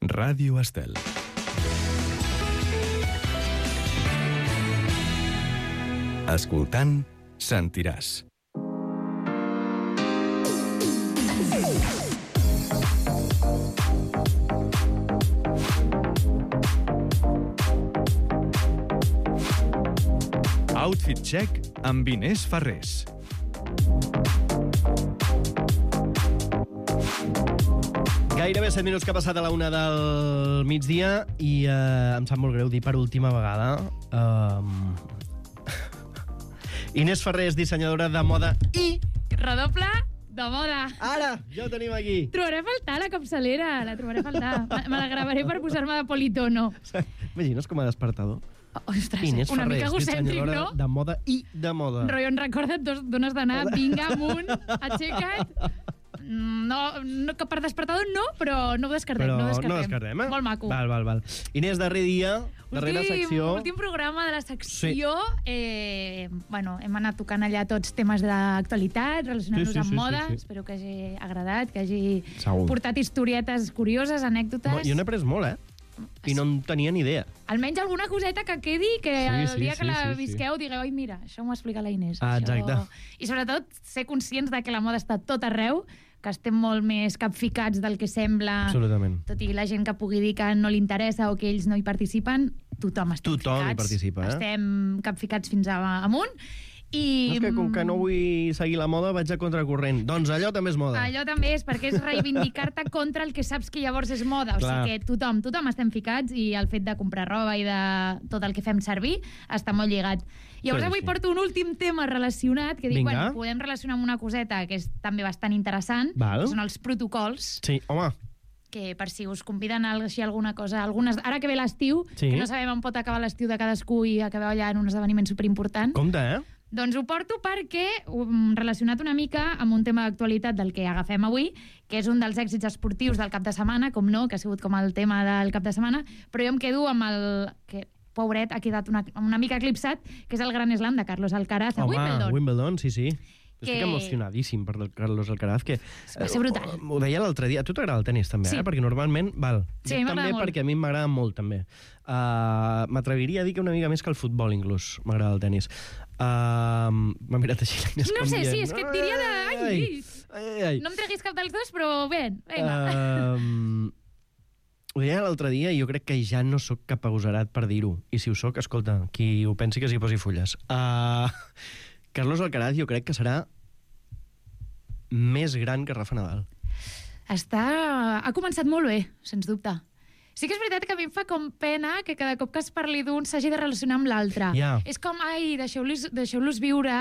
Ràdio Estel. Escoltant, sentiràs. Outfit Check amb Inés Ferrés. Gairebé 7 minuts que ha passat a la 1 del migdia i em sap molt greu dir per última vegada. Inés Ferrés, dissenyadora de moda i... Redoble de moda. Ara, ja ho tenim aquí. Trobaré a faltar la capçalera, la trobaré a faltar. Me la gravaré per posar-me de politono. Imagines com a despertador? Ostres, Inés una Ferrés, mica egocèntric, dissenyadora no? de moda i de moda. Rotllo, en recorda't, dones d'anar, vinga, amunt, aixeca't. No, que per despertador no, però no ho descartem. Però no no descartem, Molt maco. Val. Inés, darrer dia, darrera secció... Últim programa de la secció. Sí. Bueno, hem anat tocant allà tots temes d'actualitat, relacionant-nos amb moda. Sí. Espero que hagi agradat, que hagi portat historietes curioses, anècdotes. Jo n'he après molt, I no en tenia ni idea. Almenys alguna coseta que quedi, que el dia que la visqueu digueu, ai, mira, això m'ho explica la Inés. Exacte. I sobretot ser conscients de que la moda està tot arreu, que estem molt més capficats del que sembla. Absolutament. Tot i la gent que pugui dir que no li interessa o que ells no hi participen, tothom està Tothom hi participa, Estem capficats fins amunt. I... És que com que no vull seguir la moda vaig a contracorrent. Doncs allò també és moda. Allò també és, perquè és reivindicar-te contra el que saps que llavors és moda. O sigui que tothom estem ficats i el fet de comprar roba i de tot el que fem servir està molt lligat. Llavors avui porto un últim tema relacionat que dic, bueno, podem relacionar amb una coseta que és també bastant interessant, que són els protocols. Sí, home. Que per si us conviden a alguna cosa, ara que ve l'estiu, que no sabem on pot acabar l'estiu de cadascú i acabeu allà en un esdeveniment superimportant. Compte, Doncs ho porto perquè, relacionat una mica amb un tema d'actualitat del que agafem avui, que és un dels èxits esportius del cap de setmana, com no, que ha sigut com el tema del cap de setmana, però jo em quedo amb el... que pobret, ha quedat una mica eclipsat, que és el Gran Slam de Carlos Alcaraz a Wimbledon. Wimbledon, sí. Estic emocionadíssim per Carlos Alcaraz, que... Va ser brutal. Ho deia l'altre dia. A tu t'agrada el tenis, també, perquè normalment... Sí, m'agrada molt. Perquè a mi m'agrada molt, també. M'atreviria a dir que una mica més que el futbol, inclús, m'agrada el tenis. M'ha mirat així l'Inés No sé, sí, és que et diria de... No em treguis cap dels dos, però bé, vinga. Ho deia l'altre dia i jo crec que ja no sóc cap agosarat per dir-ho. I si ho sóc, escolta, qui ho pensi que s'hi posi fulles. Carlos Alcaraz jo crec que serà més gran que Rafa Nadal. Ha començat molt bé, sens dubte. Sí que és veritat que a mi em fa com pena que cada cop que es parli d'un s'hagi de relacionar amb l'altre. És com, ai, deixeu-los viure.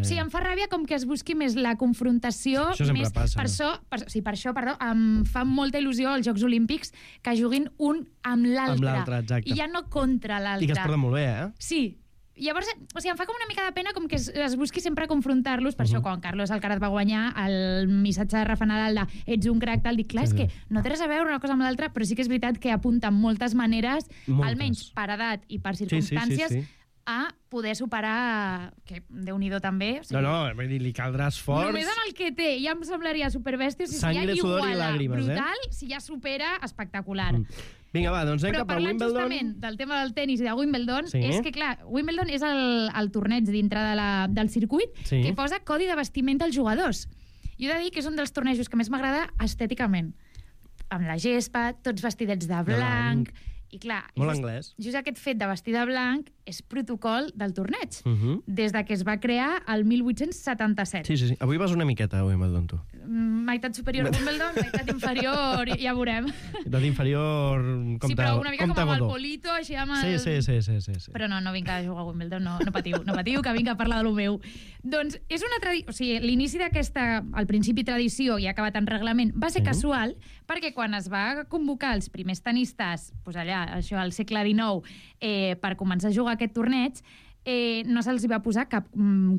Sí, em fa ràbia com que es busqui més la confrontació. Això sempre passa. Per això, em fa molta il·lusió als Jocs Olímpics que juguin un amb l'altre. Amb l'altre, exacte. I ja no contra l'altre. I que es porten molt bé, Sí. Llavors, em fa com una mica de pena com que es busqui sempre confrontar-los. Per això, quan Carlos Alcaraz va guanyar, el missatge de Rafa Nadal de ets un crac, tal, dic, clar, és que no té res a veure una cosa amb l'altra, però sí que és veritat que apunta moltes maneres, almenys per edat i per circumstàncies, a poder superar, que Déu-n'hi-do també. Vull dir, li caldrà esforç. Només amb el que té, ja em semblaria superbèstia. Sangre, sudor i làgrimes, brutal, si ja supera, espectacular. Vinga, va, doncs anem cap a Wimbledon. Però parlant justament del tema del tenis i de Wimbledon, és que, clar, Wimbledon és el torneig dintre del circuit que posa codi de vestimenta als jugadors. Jo he de dir que és un dels tornejos que més m'agrada estèticament. Amb la gespa, tots vestidets de blanc. I clar, molt anglès. Just aquest fet de vestir de blanc és protocol del torneig. Des de que es va crear el 1877. Sí. Avui vas una miqueta a Wimbledon, tu. Meitat superior a Wimbledon, meitat inferior, ja veurem. Meitat inferior, compte godó. Sí, però una mica com amb el Polito, així amb el... Sí. Però no vinc a jugar a Wimbledon, no patiu, que vinc a parlar de lo meu. Doncs és una tradició... O sigui, l'inici d'aquesta, al principi tradició i acabat en reglament, va ser casual, perquè quan es va convocar els primers tenistes, doncs allà, això al segle XIX, per començar a jugar aquest torneig, no se'ls va posar cap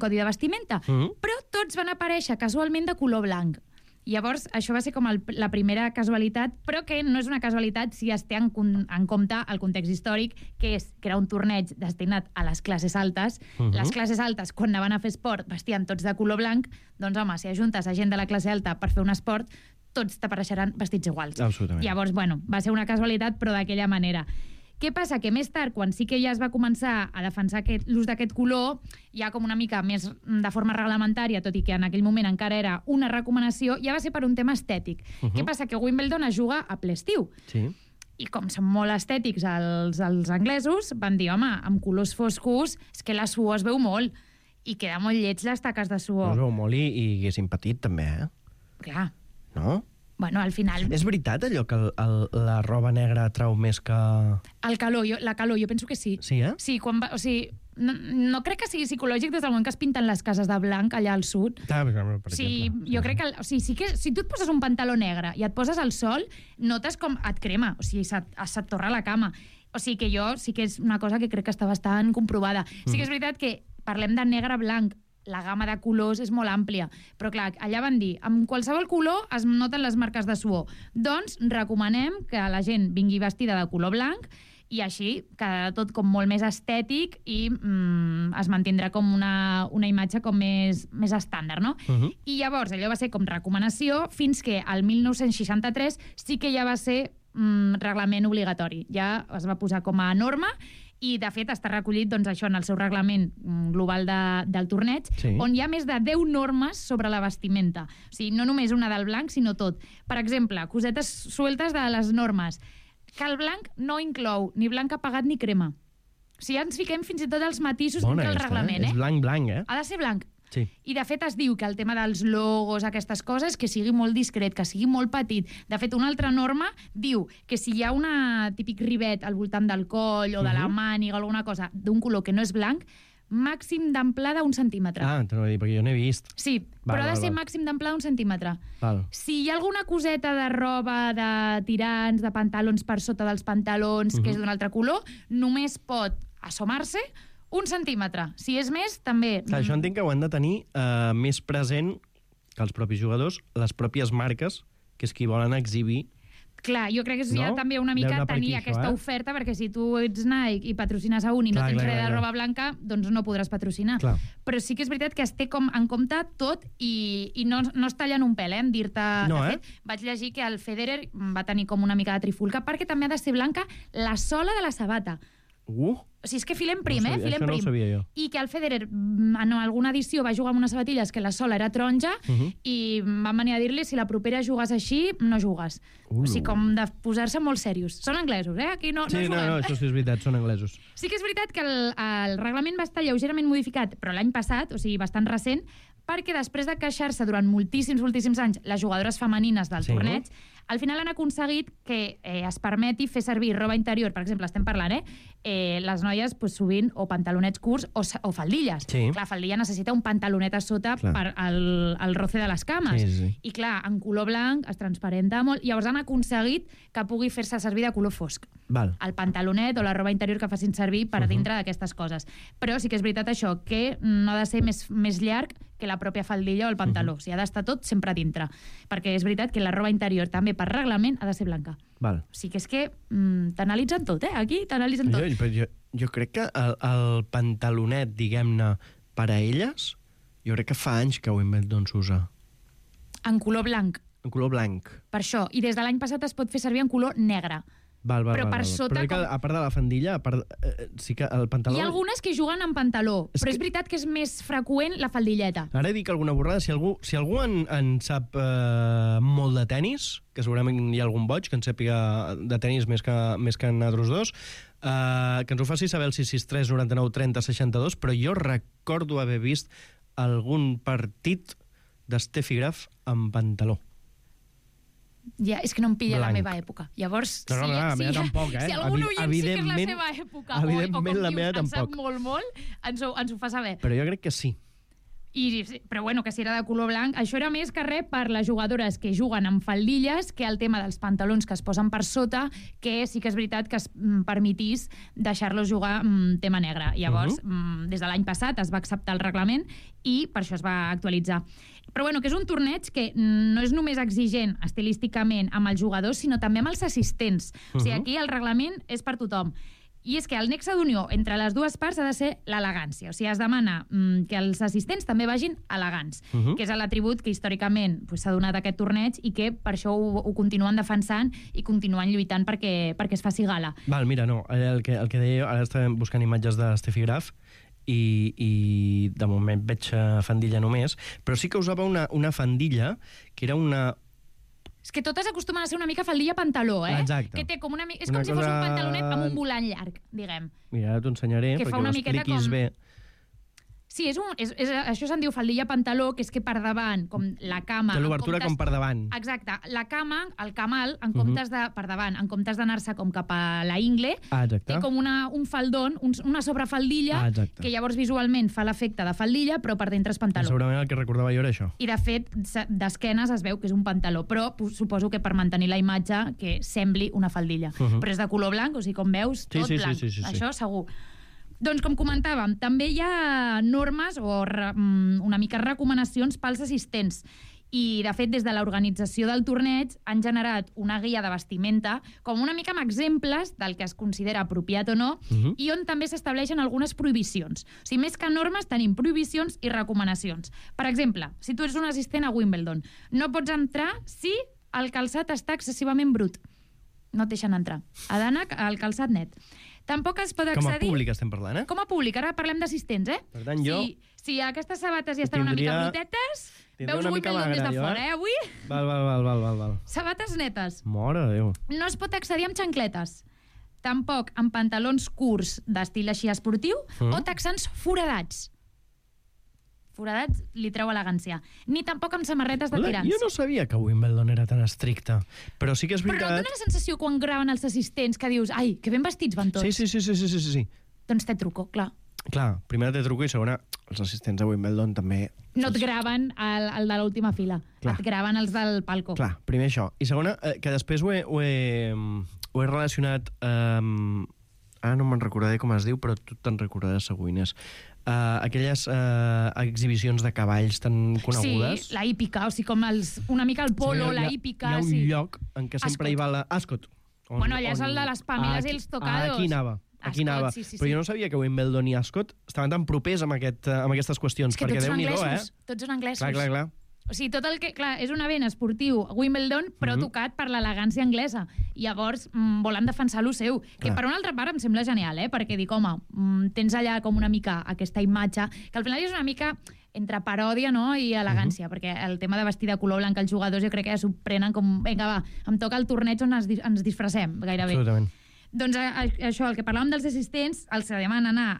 codi de vestimenta, però tots van aparèixer casualment de color blanc. Llavors, això va ser com la primera casualitat, però que no és una casualitat si es té en compte el context històric, que era un torneig destinat a les classes altes. Les classes altes, quan anaven a fer esport, vestien tots de color blanc. Doncs, home, si ajuntes a gent de la classe alta per fer un esport, tots t'apareixeran vestits iguals. Absolutament. Llavors, bueno, va ser una casualitat, però d'aquella manera. Què passa? Que més tard, quan sí que ja es va començar a defensar l'ús d'aquest color, ja com una mica més de forma reglamentària, tot i que en aquell moment encara era una recomanació, ja va ser per un tema estètic. Què passa? Que Wimbledon es juga a ple estiu. Sí. I com són molt estètics els anglesos, van dir, home, amb colors foscos, és que la suor es veu molt, i queda molt lleig les taques de suor. Es veu molt i haguéssim patit, també, Clar. No? Bueno, al final... És veritat allò que la roba negra atrau més que... La calor, jo penso que sí. Sí, eh? Sí, o sigui, no crec que sigui psicològic des del moment que es pinten les cases de blanc allà al sud. Per exemple. Sí, jo crec que... O sigui, sí que si tu et poses un pantaló negre i et poses al sol, notes com et crema, o sigui, se't torra la cama. O sigui que jo sí que és una cosa que crec que està bastant comprovada. Sí que és veritat que parlem de negre-blanc, la gamma de colors és molt àmplia. Però clar, allà van dir, amb qualsevol color es noten les marques de suor. Doncs recomanem que la gent vingui vestida de color blanc i així quedarà tot com molt més estètic i es mantindrà com una imatge com més estàndard, no? I llavors allò va ser com recomanació fins que el 1963 sí que ja va ser reglament obligatori. Ja es va posar com a norma i, de fet, està recollit doncs, això en el seu reglament global del torneig, on hi ha més de 10 normes sobre la vestimenta. O sigui, no només una del blanc, sinó tot. Per exemple, cosetes sueltes de les normes. Que el blanc no inclou ni blanc apagat ni crema. O sigui, ja ens fiquem fins i tot els matisos que el reglament. És blanc, eh? Ha de ser blanc. Sí. I, de fet, es diu que el tema dels logos, aquestes coses, que sigui molt discret, que sigui molt petit. De fet, una altra norma diu que si hi ha una típic rivet al voltant del coll o de la màniga o alguna cosa d'un color que no és blanc, màxim d'amplada 1 centímetre. Ah, t'ho he dit, perquè jo n'he vist. Sí, però ha de ser màxim d'amplada 1 centímetre. Si hi ha alguna coseta de roba, de tirants, de pantalons per sota dels pantalons, que és d'un altre color, només pot assomar-se 1 centímetre. Si és més, també... Clar, això entenc que ho han de tenir més present que els propis jugadors, les pròpies marques, que és qui volen exhibir. Clar, jo crec que és ja també una mica tenir aquesta oferta, perquè si tu ets Nike i patrocines a un i no tens res de roba blanca, doncs no podràs patrocinar. Però sí que és veritat que es té com en compte tot i no es tallen un pèl, en dir-te... De fet, vaig llegir que el Federer va tenir com una mica de trifulca perquè també ha de ser blanca la sola de la sabata. O sigui, és que filem prim, filem prim. No ho sabia jo. I que el Federer en alguna edició va jugar amb unes sabatilles que la sola era taronja i van venir a dir-li si la propera jugues així, no jugues. O sigui, com de posar-se molt serios. Són anglesos, Aquí no juguem. No, això sí és veritat, són anglesos. Sí que és veritat que el reglament va estar lleugerament modificat, però l'any passat, o sigui, bastant recent, perquè després de queixar-se durant moltíssims anys les jugadores femenines del torneig, al final han aconseguit que es permeti fer servir roba interior, per exemple, estem parlant, les noies sovint o pantalonets curts o faldilles. Clar, faldilla necessita un pantalonet a sota per al roce de les cames. I clar, en color blanc es transparenta molt, i llavors han aconseguit que pugui fer-se servir de color fosc. El pantalonet o la roba interior que facin servir per dintre d'aquestes coses. Però sí que és veritat això, que no ha de ser més llarg que la pròpia faldilla o el pantaló. O sigui, ha d'estar tot sempre dintre. Perquè és veritat que la roba interior també per reglament ha de ser blanca. O sigui que és que t'analitzen tot, Aquí t'analitzen tot. Jo crec que el pantalonet, diguem-ne, per a elles, jo crec que fa anys que Wimbledon s'usa. En color blanc. En color blanc. Per això. I des de l'any passat es pot fer servir en color negre. Però per sota... Però a part de la faldilla, sí que el pantaló... Hi ha algunes que juguen amb pantaló, però és veritat que és més freqüent la faldilleta. Ara dic alguna borrada. Si algú en sap molt de tennis, que segurament hi ha algun boig que en sàpiga de tennis més que en altres dos, que ens ho faci saber el 663 99 30 62, però jo recordo haver vist algun partit d'Steffi Graf amb pantaló. Ja, és que no em pilla la meva època. Llavors, la meva tampoc, si algun oient sí que és la seva època, o com dius, en sap molt, ens ho fa saber. Però jo crec que sí. Però bueno, que si era de color blanc, això era més que res per les jugadores que juguen amb faldilles, que el tema dels pantalons que es posen per sota, que sí que és veritat que es permetís deixar-los jugar tema negre. Llavors, des de l'any passat es va acceptar el reglament i per això es va actualitzar. Però bueno, que és un torneig que no és només exigent estilísticament amb els jugadors, sinó també amb els assistents. O sigui, aquí el reglament és per tothom. I és que el nexe d'unió entre les dues parts ha de ser l'elegància. O sigui, es demana que els assistents també vagin elegants, que és l'atribut que històricament s'ha donat a aquest torneig i que per això ho continuen defensant i continuen lluitant perquè es faci gala. Val, mira, no, el que deia, ara estàvem buscant imatges de Steffi Graf i de moment veig faldilla només, però sí que usava una faldilla que era una... És que totes acostumen a ser una mica faldilla-pantaló, Exacte. Que té com una mica... És com si fos un pantalonet amb un volant llarg, diguem. Mira, ara t'ho ensenyaré que perquè ho expliquis bé. Sí, això se'n diu faldilla-pantaló, que és que per davant, com la cama... Té l'obertura com per davant. Exacte. La cama, el camal, en comptes de per davant, en comptes d'anar-se com cap a la ingle, té com un faldón, una sobrefaldilla, que llavors visualment fa l'efecte de faldilla, però per dintre és pantaló. Segurament el que recordava jo era això. I, de fet, d'esquenes es veu que és un pantaló, però suposo que per mantenir la imatge que sembli una faldilla. Però és de color blanc, o sigui, com veus, tot blanc. Això segur. Doncs, com comentàvem, també hi ha normes o una mica recomanacions pels assistents. I, de fet, des de l'organització del torneig han generat una guia de vestimenta com una mica amb exemples del que es considera apropiat o no i on també s'estableixen algunes prohibicions. O sigui, més que normes, tenim prohibicions i recomanacions. Per exemple, si tu ets un assistent a Wimbledon, no pots entrar si el calçat està excessivament brut. No et deixen entrar. Ha d'anar al calçat net. Tampoc es pot accedir... Com a públic estem parlant, Com a públic, ara parlem d'assistents, Per tant, jo... Si aquestes sabates ja estan una mica brutetes, veus Wimbledon des de fora, avui? Val. Sabates netes. Mare de Déu. No es pot accedir amb xancletes. Tampoc amb pantalons curts d'estil així esportiu o texans foradats. Foradats li treu elegància. Ni tampoc amb samarretes de tirants. Jo no sabia que Wimbledon era tan estricte. Però sí que és veritat... Però no et dona la sensació quan graven els assistents que dius ai, que ben vestits van tots? Sí. Doncs té truco, clar. Clar, primera té truco i segona, els assistents de Wimbledon també... No et graven el de l'última fila. Clar. Et graven els del palco. Clar, primer això. I segona, que després ho he relacionat... Ara no me'n recordaré com es diu, però tu te'n recordaràs segur, Inés. Aquelles exhibicions de cavalls tan conegudes. Sí, la hípica, o sigui, com una mica el polo, la hípica... Hi ha un lloc en què sempre hi va Ascot. Bueno, allà és el de les pàmiles i els tocados. Aquí anava. Sí. Però jo no sabia que Wimbledon i Ascot estaven tan propers amb aquestes qüestions. És que tots són anglesos. Tots són anglesos. Clar. O sigui, tot el que... Clar, és un event esportiu a Wimbledon, però tocat per l'elegància anglesa. I llavors volen defensar lo seu. Que per una altra part em sembla genial, perquè dic, home, tens allà com una mica aquesta imatge, que al final és una mica entre paròdia, no?, i elegància, perquè el tema de vestir de color blanc els jugadors jo crec que ja s'ho prenen com, vinga, va, em toca el torneig on ens disfressem, gairebé. Absolutament. Doncs això, el que parlàvem dels assistents, els demanen anar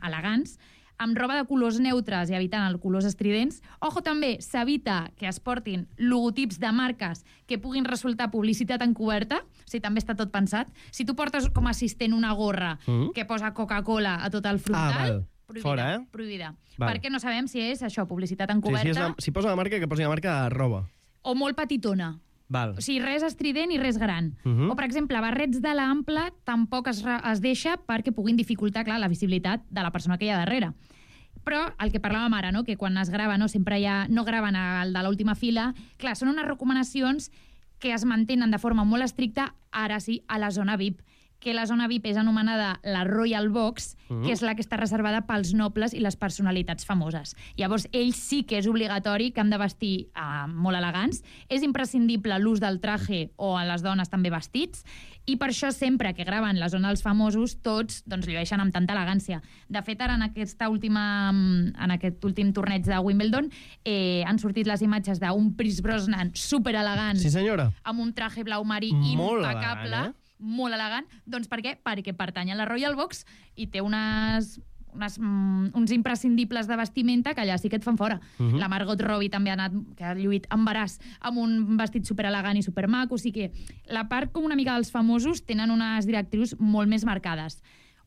elegants, amb roba de colors neutres i evitant els colors estridents. Ojo, també, s'evita que es portin logotips de marques que puguin resultar publicitat encoberta, o sigui, també està tot pensat. Si tu portes com a assistent una gorra que posa Coca-Cola a tot el frontal, prohibida. Fora, prohibida. Perquè no sabem si és això, publicitat encoberta. Si posa la marca, que posi la marca a roba. O molt petitona. Val. O sigui, res estrident i res gran. O, per exemple, barrets de l'ample tampoc es deixa perquè puguin dificultar, clar, la visibilitat de la persona que hi ha darrere. Però el que parlàvem ara, no?, que quan es grava sempre no graven el de l'última fila, clar, són unes recomanacions que es mantenen de forma molt estricta, ara sí, a la zona VIP, que la zona VIP és anomenada la Royal Box, que és la que està reservada pels nobles i les personalitats famoses. Llavors, ells sí que és obligatori que han de vestir molt elegants, és imprescindible l'ús del traje o a les dones també vestits, i per això sempre que graven la zona dels famosos, tots llueixen amb tanta elegància. De fet, ara en aquest últim torneig de Wimbledon han sortit les imatges d'un Pierce Brosnan superelegant, sí, senyora, amb un traje blau marí molt impecable, elegant, molt elegant. Doncs per què? Perquè pertany a la Royal Box i té uns imprescindibles de vestimenta que allà sí que et fan fora. La Margot Robbie també que ha lluït embaràs amb un vestit superelegant i supermaco, o sigui que la part com una mica dels famosos tenen unes directrius molt més marcades.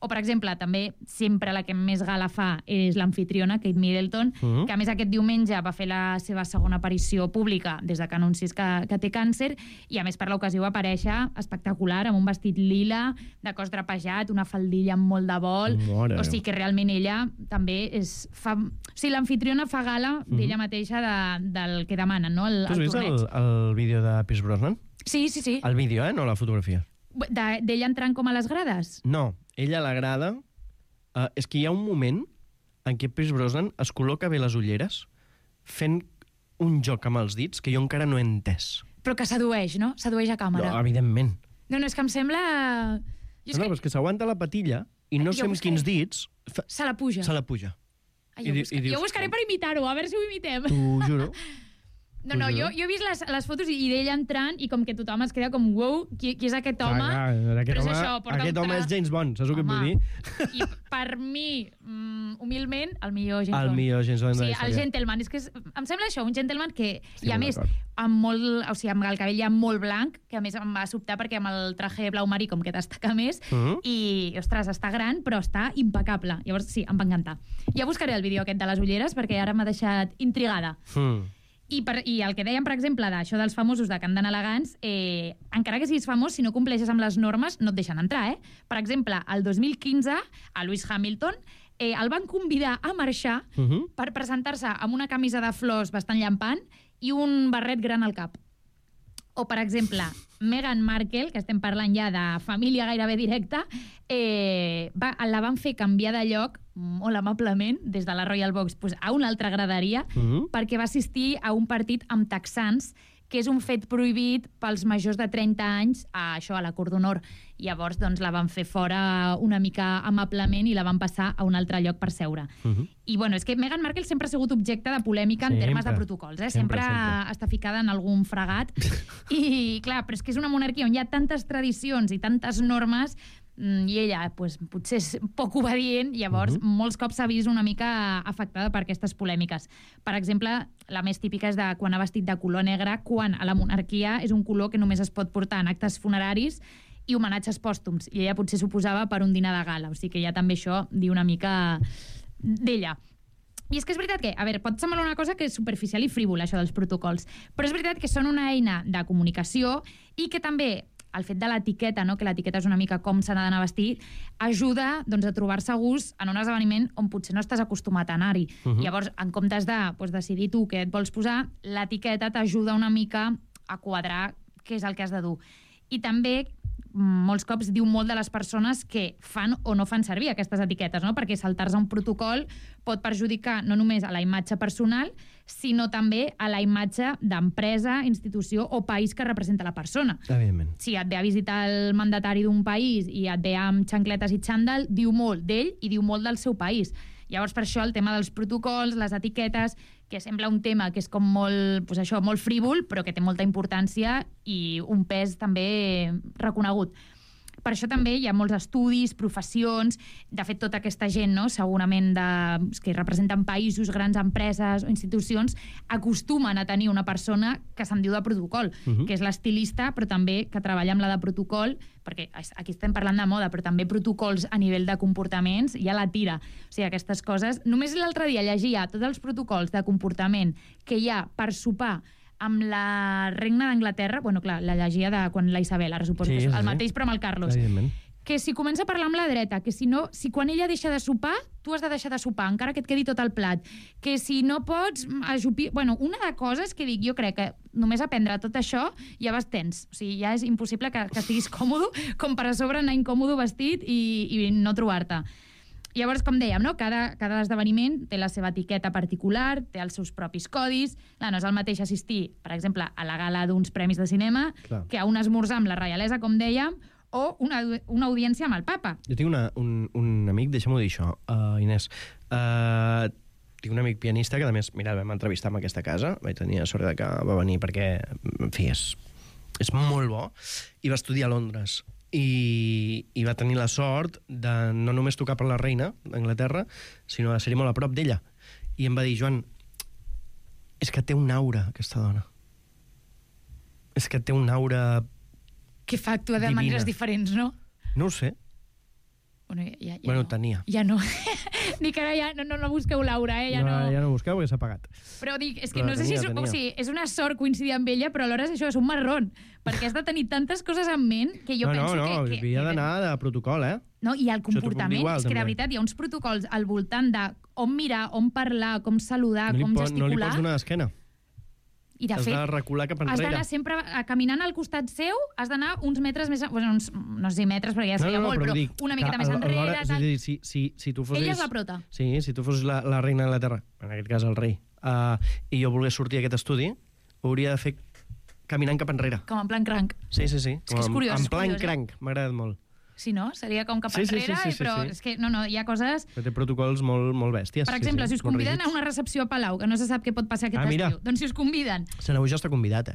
O, per exemple, també sempre la que més gala fa és l'amfitriona, Kate Middleton, que a més aquest diumenge va fer la seva segona aparició pública des de que anuncis que té càncer, i a més per l'ocasió va aparèixer espectacular, amb un vestit lila, de cos drapejat, una faldilla amb molt de vol. O sigui que realment ella també O sigui, l'amfitriona fa gala d'ella mateixa del que demanen, no?, el torneig. Tu has vist el vídeo de Pierce Brosnan? Sí. El vídeo, no la fotografia. D'ella entrant com a les grades? No, ella l'agrada... és que hi ha un moment en què Pierce Brosnan es col·loca bé les ulleres fent un joc amb els dits que jo encara no he entès. Però que sedueix, no? Sedueix a càmera. No, evidentment. No, és que em sembla... No, però és que s'aguanta la patilla i no sé amb quins dits... Se la puja. Se la puja. Ai, jo buscaré per imitar-ho, a veure si ho imitem. T'ho juro. No, jo he vist les fotos i d'ell entrant i com que tothom es queda com, wow, qui és aquest home? Aquest home és James Bond, saps el que vull dir? I per mi, humilment, el millor James Bond. El millor James Bond. Sí, el gentleman. És que em sembla això, un gentleman que, i a més, amb el cabell ja molt blanc, que a més em va sobtar perquè amb el traje blau marí com que destaca més, i, ostres, està gran, però està impecable. Llavors, sí, em va encantar. Ja buscaré el vídeo aquest de les ulleres perquè ara m'ha deixat intrigada. I el que dèiem, per exemple, d'això dels famosos de que han d'anar elegants, encara que siguis famós, si no compleixes amb les normes, no et deixen entrar, Per exemple, el 2015, a Lewis Hamilton, el van convidar a marxar per presentar-se amb una camisa de flors bastant llampant i un barret gran al cap. O, per exemple, Meghan Markle, que estem parlant ja de família gairebé directa, la van fer canviar de lloc molt amablement des de la Royal Box a una altra graderia perquè va assistir a un partit amb texans que és un fet prohibit pels majors de 30 anys a la Cort d'Honor. Llavors, doncs, la van fer fora una mica amablement i la van passar a un altre lloc per seure. I, bueno, és que Meghan Markle sempre ha sigut objecte de polèmica en termes de protocols, Sempre està ficada en algun fregat. I, clar, però és que és una monarquia on hi ha tantes tradicions i tantes normes i ella potser és poc obedient, llavors molts cops s'ha vist una mica afectada per aquestes polèmiques. Per exemple, la més típica és de quan ha vestit de color negre, quan a la monarquia és un color que només es pot portar en actes funeraris i homenatges pòstums, i ella potser s'oposava per un dinar de gala, o sigui que ja també això diu una mica d'ella. I és que és veritat que, a veure, pot semblar una cosa que és superficial i frívola, això dels protocols, però és veritat que són una eina de comunicació i que també el fet de l'etiqueta, que l'etiqueta és una mica com s'ha d'anar a vestir, ajuda a trobar-se a gust en un esdeveniment on potser no estàs acostumat a anar-hi. Llavors, en comptes de decidir tu què et vols posar, l'etiqueta t'ajuda una mica a quadrar què és el que has de dur. I també, molts cops, diu molt de les persones que fan o no fan servir aquestes etiquetes, perquè saltar-se un protocol pot perjudicar no només a la imatge personal, sinó també a la imatge d'empresa, institució o país que representa la persona. Evidentment. Si et ve a visitar el mandatari d'un país i et ve amb xancletes i xandall, diu molt d'ell i diu molt del seu país. Llavors, per això, el tema dels protocols, les etiquetes, que sembla un tema que és com molt, molt frívol, però que té molta importància i un pes també reconegut. Per això també hi ha molts estudis, professions, de fet tota aquesta gent, segurament que representen països, grans empreses o institucions, acostumen a tenir una persona que se'n diu de protocol, que és l'estilista, però també que treballa amb la de protocol, perquè aquí estem parlant de moda, però també protocols a nivell de comportaments, ja la tira. O sigui, aquestes coses... Només l'altre dia llegia tots els protocols de comportament que hi ha per sopar amb la reina d'Anglaterra, clar, la llegia de quan la Isabel, ara suposo que és el mateix, però amb el Carlos, que si comença a parlar amb la dreta, que si quan ella deixa de sopar, tu has de deixar de sopar, encara que et quedi tot el plat, que si no pots ajupir... una de coses que dic, jo crec que només aprendre tot això ja vas tens. O sigui, ja és impossible que estiguis còmodo, com per a sobre anar incòmodo vestit i no trobar-te. Llavors, com dèiem, cada esdeveniment té la seva etiqueta particular, té els seus propis codis. No és el mateix assistir, per exemple, a la gala d'uns premis de cinema que a un esmorzar amb la reialesa, com dèiem, o una audiència amb el papa. Jo tinc un amic, deixa'm-ho dir això, Inés. Tinc un amic pianista que, a més, mira, vam entrevistar en aquesta casa. Vaig tenir la sort que va venir perquè, en fi, és molt bo. I va estudiar a Londres. I va tenir la sort de no només tocar per la reina d'Anglaterra, sinó de ser-hi molt a prop d'ella. I em va dir, Joan, és que té un aura, aquesta dona. És que té un aura que fa actuar de maneres diferents, no? No ho sé. Bueno, tenia. Ja no. Dic, ara ja no busqueu Laura, Ja no busqueu perquè s'ha pagat. Però dic, és que no sé si és una sort coincidir amb ella, però alhora això és un marrón, perquè has de tenir tantes coses en ment que jo penso que... havia d'anar de protocol, No, i el comportament, és que de veritat hi ha uns protocols al voltant de on mirar, on parlar, com saludar, com gesticular... No li pots donar d'esquena. I de Has fet, de recular cap has enrere. d'anar sempre caminant al costat seu, has d'anar uns metres més... Bueno, no sé si metres, perquè ja seria molt, però dic una miqueta que més enrere. alhora, Tal. és a dir, si tu fossis... Ella és la prota. Sí, si tu fossis la reina de la Terra, en aquest cas el rei, i jo volgués sortir a aquest estudi, ho hauria de fer caminant cap enrere. Com en plan cranc. Sí. És que és curiós, En és plan curiós, cranc, m'ha agradat molt. Sí, no? Seria com cap Sí, enrere, però sí. és que no, hi ha coses... Però té protocols molt bèsties. Per exemple, si us molt conviden a rígids. una recepció a Palau, que no se sap què pot passar aquest mira. estiu, doncs si us conviden Seneu ja està convidat,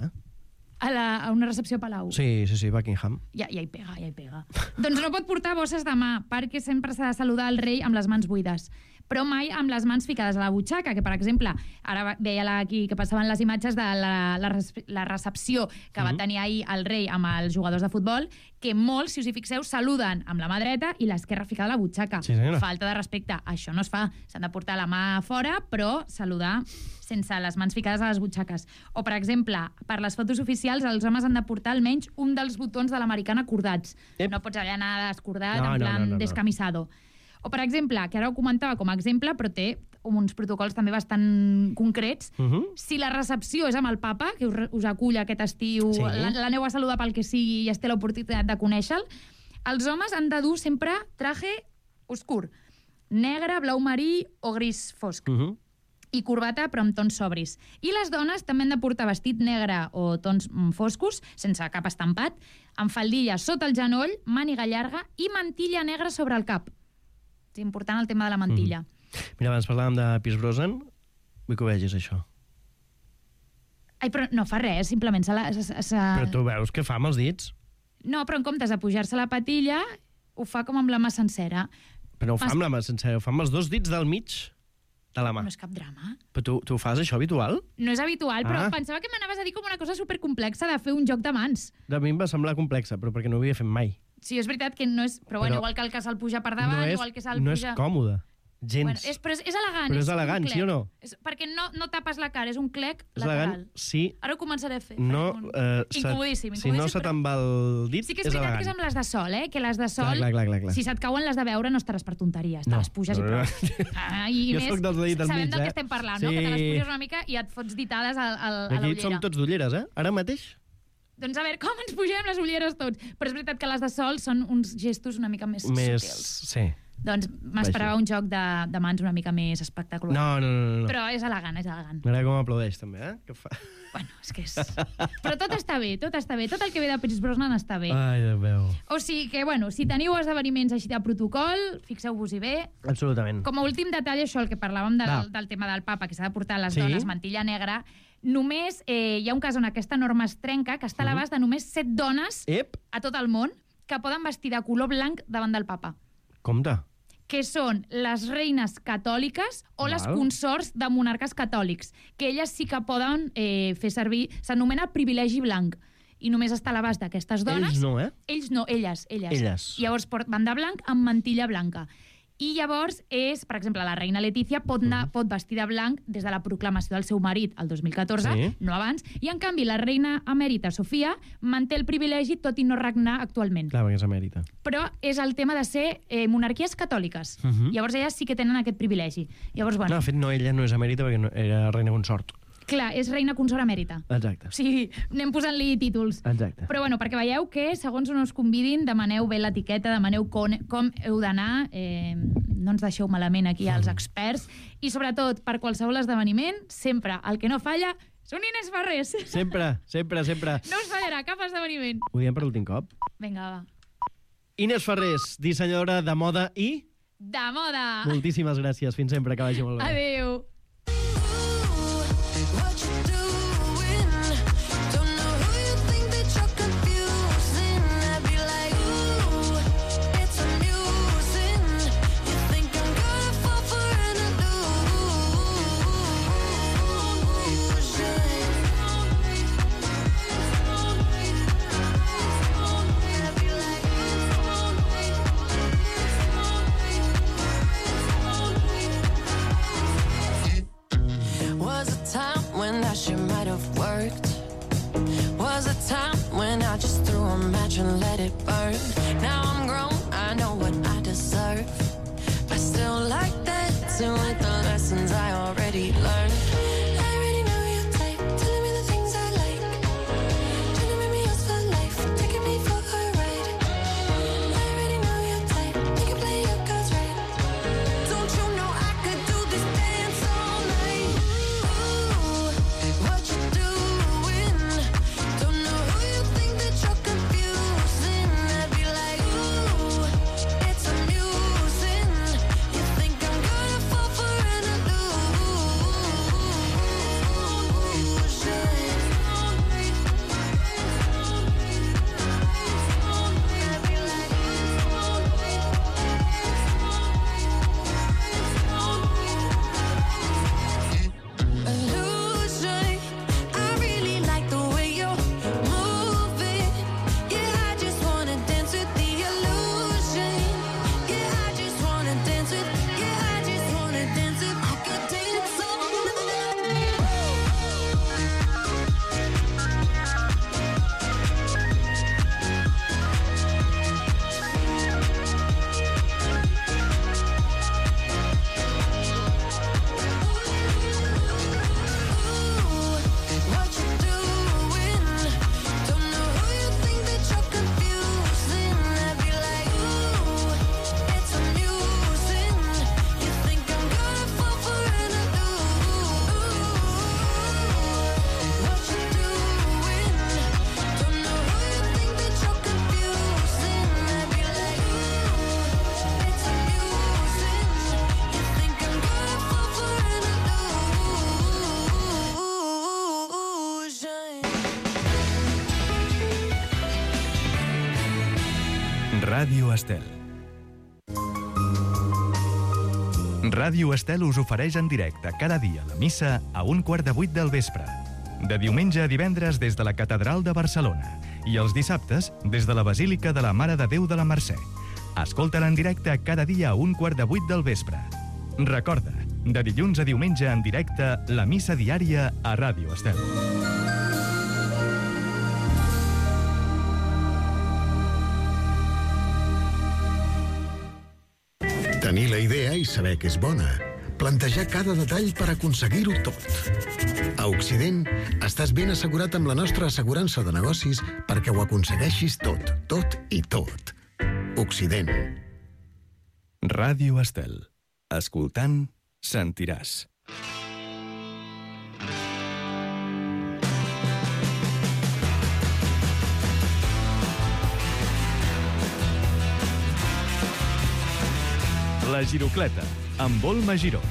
a una recepció a Palau, Sí, Buckingham. ja hi pega. Doncs no pot portar bosses de mà, perquè sempre s'ha de saludar el rei amb les mans buides, però mai amb les mans ficades a la butxaca, que, per exemple, ara veia aquí que passaven les imatges de la recepció que va tenir ahir el rei amb els jugadors de futbol, que molts, si us hi fixeu, saluden amb la mà dreta i l'esquerra ficada a la butxaca. Sí, senyora. Falta de respecte. Això no es fa. S'han de portar la mà fora, però saludar sense les mans ficades a les butxaques. O, per exemple, per les fotos oficials, els homes han de portar almenys un dels botons de l'americana acordats. Ep. No pots allà anar descordat, No, en plan no. descamisado. O, per exemple, que ara ho comentava com a exemple, però té uns protocols també bastant concrets. Si la recepció és amb el papa, que us acull aquest estiu, Sí. l'aneu a saludar pel que sigui i es té l'oportunitat de conèixer-lo, els homes han de dur sempre traje oscur, negre, blau marí o gris fosc. I corbata, però amb tons sobris. I les dones també han de portar vestit negre o tons foscos, sense cap estampat, amb faldilla sota el genoll, màniga llarga i mantilla negra sobre el cap. És important el tema de la mantilla. Mira, abans parlàvem de Pierce Brosnan. Vull que ho vegis, això. Ai, però no fa res, simplement Però tu veus què fa amb els dits? No, però en comptes de pujar-se la patilla, ho fa com amb la mà sencera. Però ho fa amb la mà sencera, ho fa amb els dos dits del mig de la mà. No és cap drama. Però tu fas això habitual? No és habitual, però pensava que m'anaves a dir com una cosa supercomplexa de fer un joc de mans. A mi em va semblar complexa, però perquè no ho havia fet mai. Sí, és veritat que no és... Però bueno, igual que el que se'l puja per davant, igual que se'l no puja... és còmode, gens. Bueno, però és elegant. Però és elegant, un sí o clec. no? Perquè no tapes la cara, és un clec És lateral. elegant, sí. Ara ho començaré a fer. No, Incomodíssim. si no se te'n va el dit, Sí que és veritat que és amb les de sol, que les de sol, Clar. si se't cauen les de veure, no estaràs per tonteries. Te No. les puges i prou. I Jo més, soc dels dits del sabem mig, del que estem parlant, no? Sí. Que te les puges una mica i et fots ditades a Aquí l'ullera. som tots d'ulleres, Ara mateix? Doncs a veure, com ens pugem les ulleres tots? Però és veritat que les de sol són uns gestos una mica més sutils. Sí. Doncs m'esperava un joc de mans una mica més espectacular. No. Però és elegant, és elegant. M'agrada com aplaudeix, també, Que fa... Bueno, és que és... Però tot està bé. Tot el que ve de Pierce Brosnan està bé. Ai, Déu meu. O sigui que, bueno, si teniu esdeveniments així de protocol, fixeu-vos-hi bé. Absolutament. Com a últim detall, això, el que parlàvem del tema del papa, que s'ha de portar a les dones mantilla negra, només hi ha un cas on aquesta norma es trenca, que està a l'abast de només 7 dones a tot el món que poden vestir de color blanc davant del papa. Compte. Que són les reines catòliques o les consorts de monarques catòlics, que elles sí que poden fer servir... S'anomena privilegi blanc. I només està a l'abast d'aquestes dones. Ells no, Ells no, elles. Elles. Llavors van de blanc amb mantilla blanca. I llavors és, per exemple, la reina Letícia pot vestir de blanc des de la proclamació del seu marit el 2014, no abans, i en canvi la reina emèrita Sofia manté el privilegi tot i no regnar actualment. Clar, perquè és emèrita. Però és el tema de ser monarquies catòliques. Llavors elles sí que tenen aquest privilegi. Llavors, bueno... No, de fet, no, ella no és emèrita perquè era reina consort. Clar, és reina consort emèrita. Exacte. O sigui, anem posant-li títols. Exacte. Però bueno, perquè veieu que, segons on us convidin, demaneu bé l'etiqueta, demaneu com heu d'anar, no ens deixeu malament aquí als experts, i sobretot, per qualsevol esdeveniment, sempre el que no falla són Inés Farrés. Sempre. No us fallarà cap esdeveniment. Ho diem per l'últim cop. Vinga, va. Inés Farrés, dissenyadora de moda i... De moda! Moltíssimes gràcies. Fins sempre, que vagi molt bé. Adéu! Was a time when I should Ràdio Estel. Ràdio Estel us ofereix en directe cada dia la missa a 7:15 del vespre. De diumenge a divendres des de la Catedral de Barcelona i els dissabtes des de la Basílica de la Mare de Déu de la Mercè. Escolta-la en directe cada dia a 7:15 del vespre. Recorda, de dilluns a diumenge en directe, la missa diària a Ràdio Estel. Tenir la idea i saber que és bona. Plantejar cada detall per aconseguir-ho tot. A Occident, estàs ben assegurat amb la nostra assegurança de negocis perquè ho aconsegueixis tot, tot i tot. Occident. Ràdio Estel. Escoltant, sentiràs. La Girocleta, amb Volma Giró.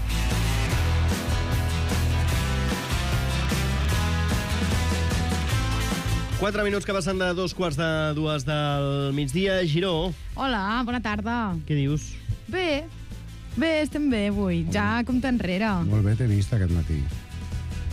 Quatre minuts que passen de 2:45 del migdia. Giró, Hola, bona tarda. què dius? Bé, estem bé avui. Ja compte enrere. Molt bé, t'he vist aquest matí.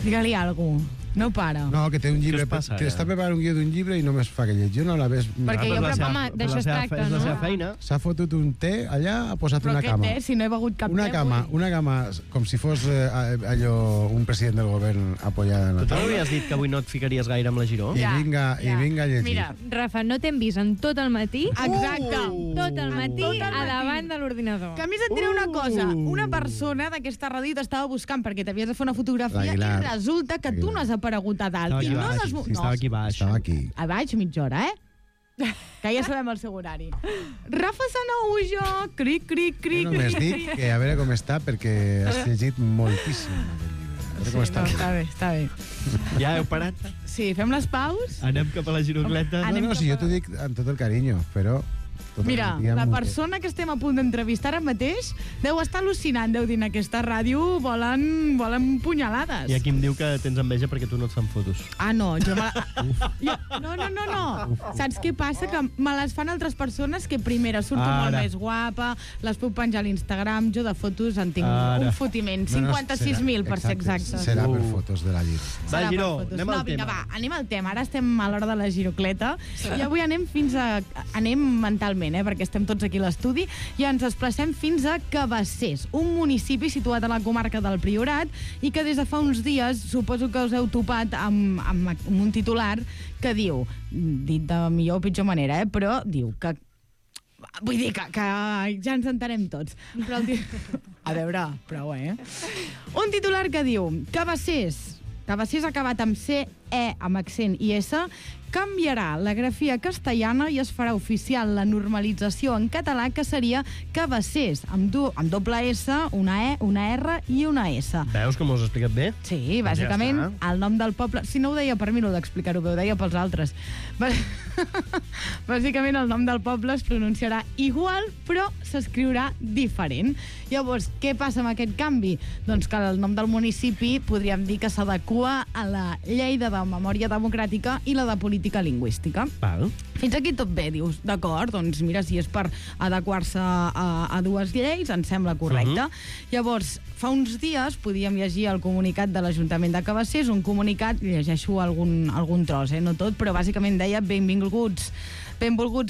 Digue-li alguna cosa. No para. No, que té un llibre, Què us passa, que està preparant un guió d'un llibre i només fa que llegir. No la ves... Perquè jo, però, home, d'això es tracta, És la no? seva feina. S'ha fotut un té allà, ha posat Però una què cama. té, si no he begut cap Una té cama, avui? una cama, com si fos allò, un president del govern apoyada en la Tu també taula. havies dit que avui no et ficaries gaire amb la Giró? I vinga a llegir. Mira, Rafa, no t'hem vist en tot el matí, exacte. tot el matí, Tot el a matí. davant de l'ordinador. Que a més et diré una cosa. Una persona d'aquesta ràdio t'estava buscant perquè t'havies de fer una fotografia L'Aguilar. i resulta que tu no has aparegut a dalt. I no Estava aquí baix. Estava aquí. A baix, mitja hora, que ja sabem el seu horari. Rafa Sanaujo, cric, cric, Jo cric. només dic que a veure com està perquè has llegit moltíssim aquest llibre. A veure com No, està. està bé. Ja heu parat? Sí, fem les paus. Anem cap a la Girocleta. No, si jo t'ho dic amb tot el carinyo, però... tot el Mira, dia la m'ho- persona que estem a punt d'entrevistar ara mateix deu estar al·lucinant, deu dir, en aquesta ràdio volen punyalades. I aquí em diu que tens enveja perquè tu no et fan fotos. Ah, no, jo me No. Saps què passa? Que me les fan altres persones que primera surto Ara. molt més guapa, les puc penjar a l'Instagram, jo de fotos en tinc Ara. un fotiment. 56.000, per ser exactes. Serà per fotos de la llibre. Va, Serà Giró, per fotos. anem al No, vinga, tema. va, anem al tema. Ara estem a l'hora de la girocleta i avui anem anem mentalment, perquè estem tots aquí a l'estudi, i ens desplacem fins a Cabassers, un municipi situat a la comarca del Priorat i que des de fa uns dies suposo que us heu topat amb un titular que diu, dit de millor o pitjor manera, però diu que vull dir que ja ens entenem tots. Però a veure, prou, Un titular que diu Cabassers acabat amb C, E, amb accent i S, canviarà la grafia castellana i es farà oficial la normalització en català, que seria Cabassers, amb doble S, una E, una R i una S. Veus com us he explicat bé? Sí, bàsicament, Ja el nom del poble... Si no ho deia per mi, no ho d'explicar-ho bé, ho deia pels altres. Bàsicament, el nom del poble es pronunciarà igual, però s'escriurà diferent. Llavors, què passa amb aquest canvi? Doncs que el nom del municipi podríem dir que s'adequa a la llei de memòria democràtica i la de política lingüística. Val. Fins aquí tot bé, dius, d'acord, doncs mira, si és per adequar-se a dues lleis, em sembla correcte. Llavors, fa uns dies podíem llegir el comunicat de l'Ajuntament de Cabassers, un comunicat, llegeixo algun tros, no tot, però bàsicament deia benvolguts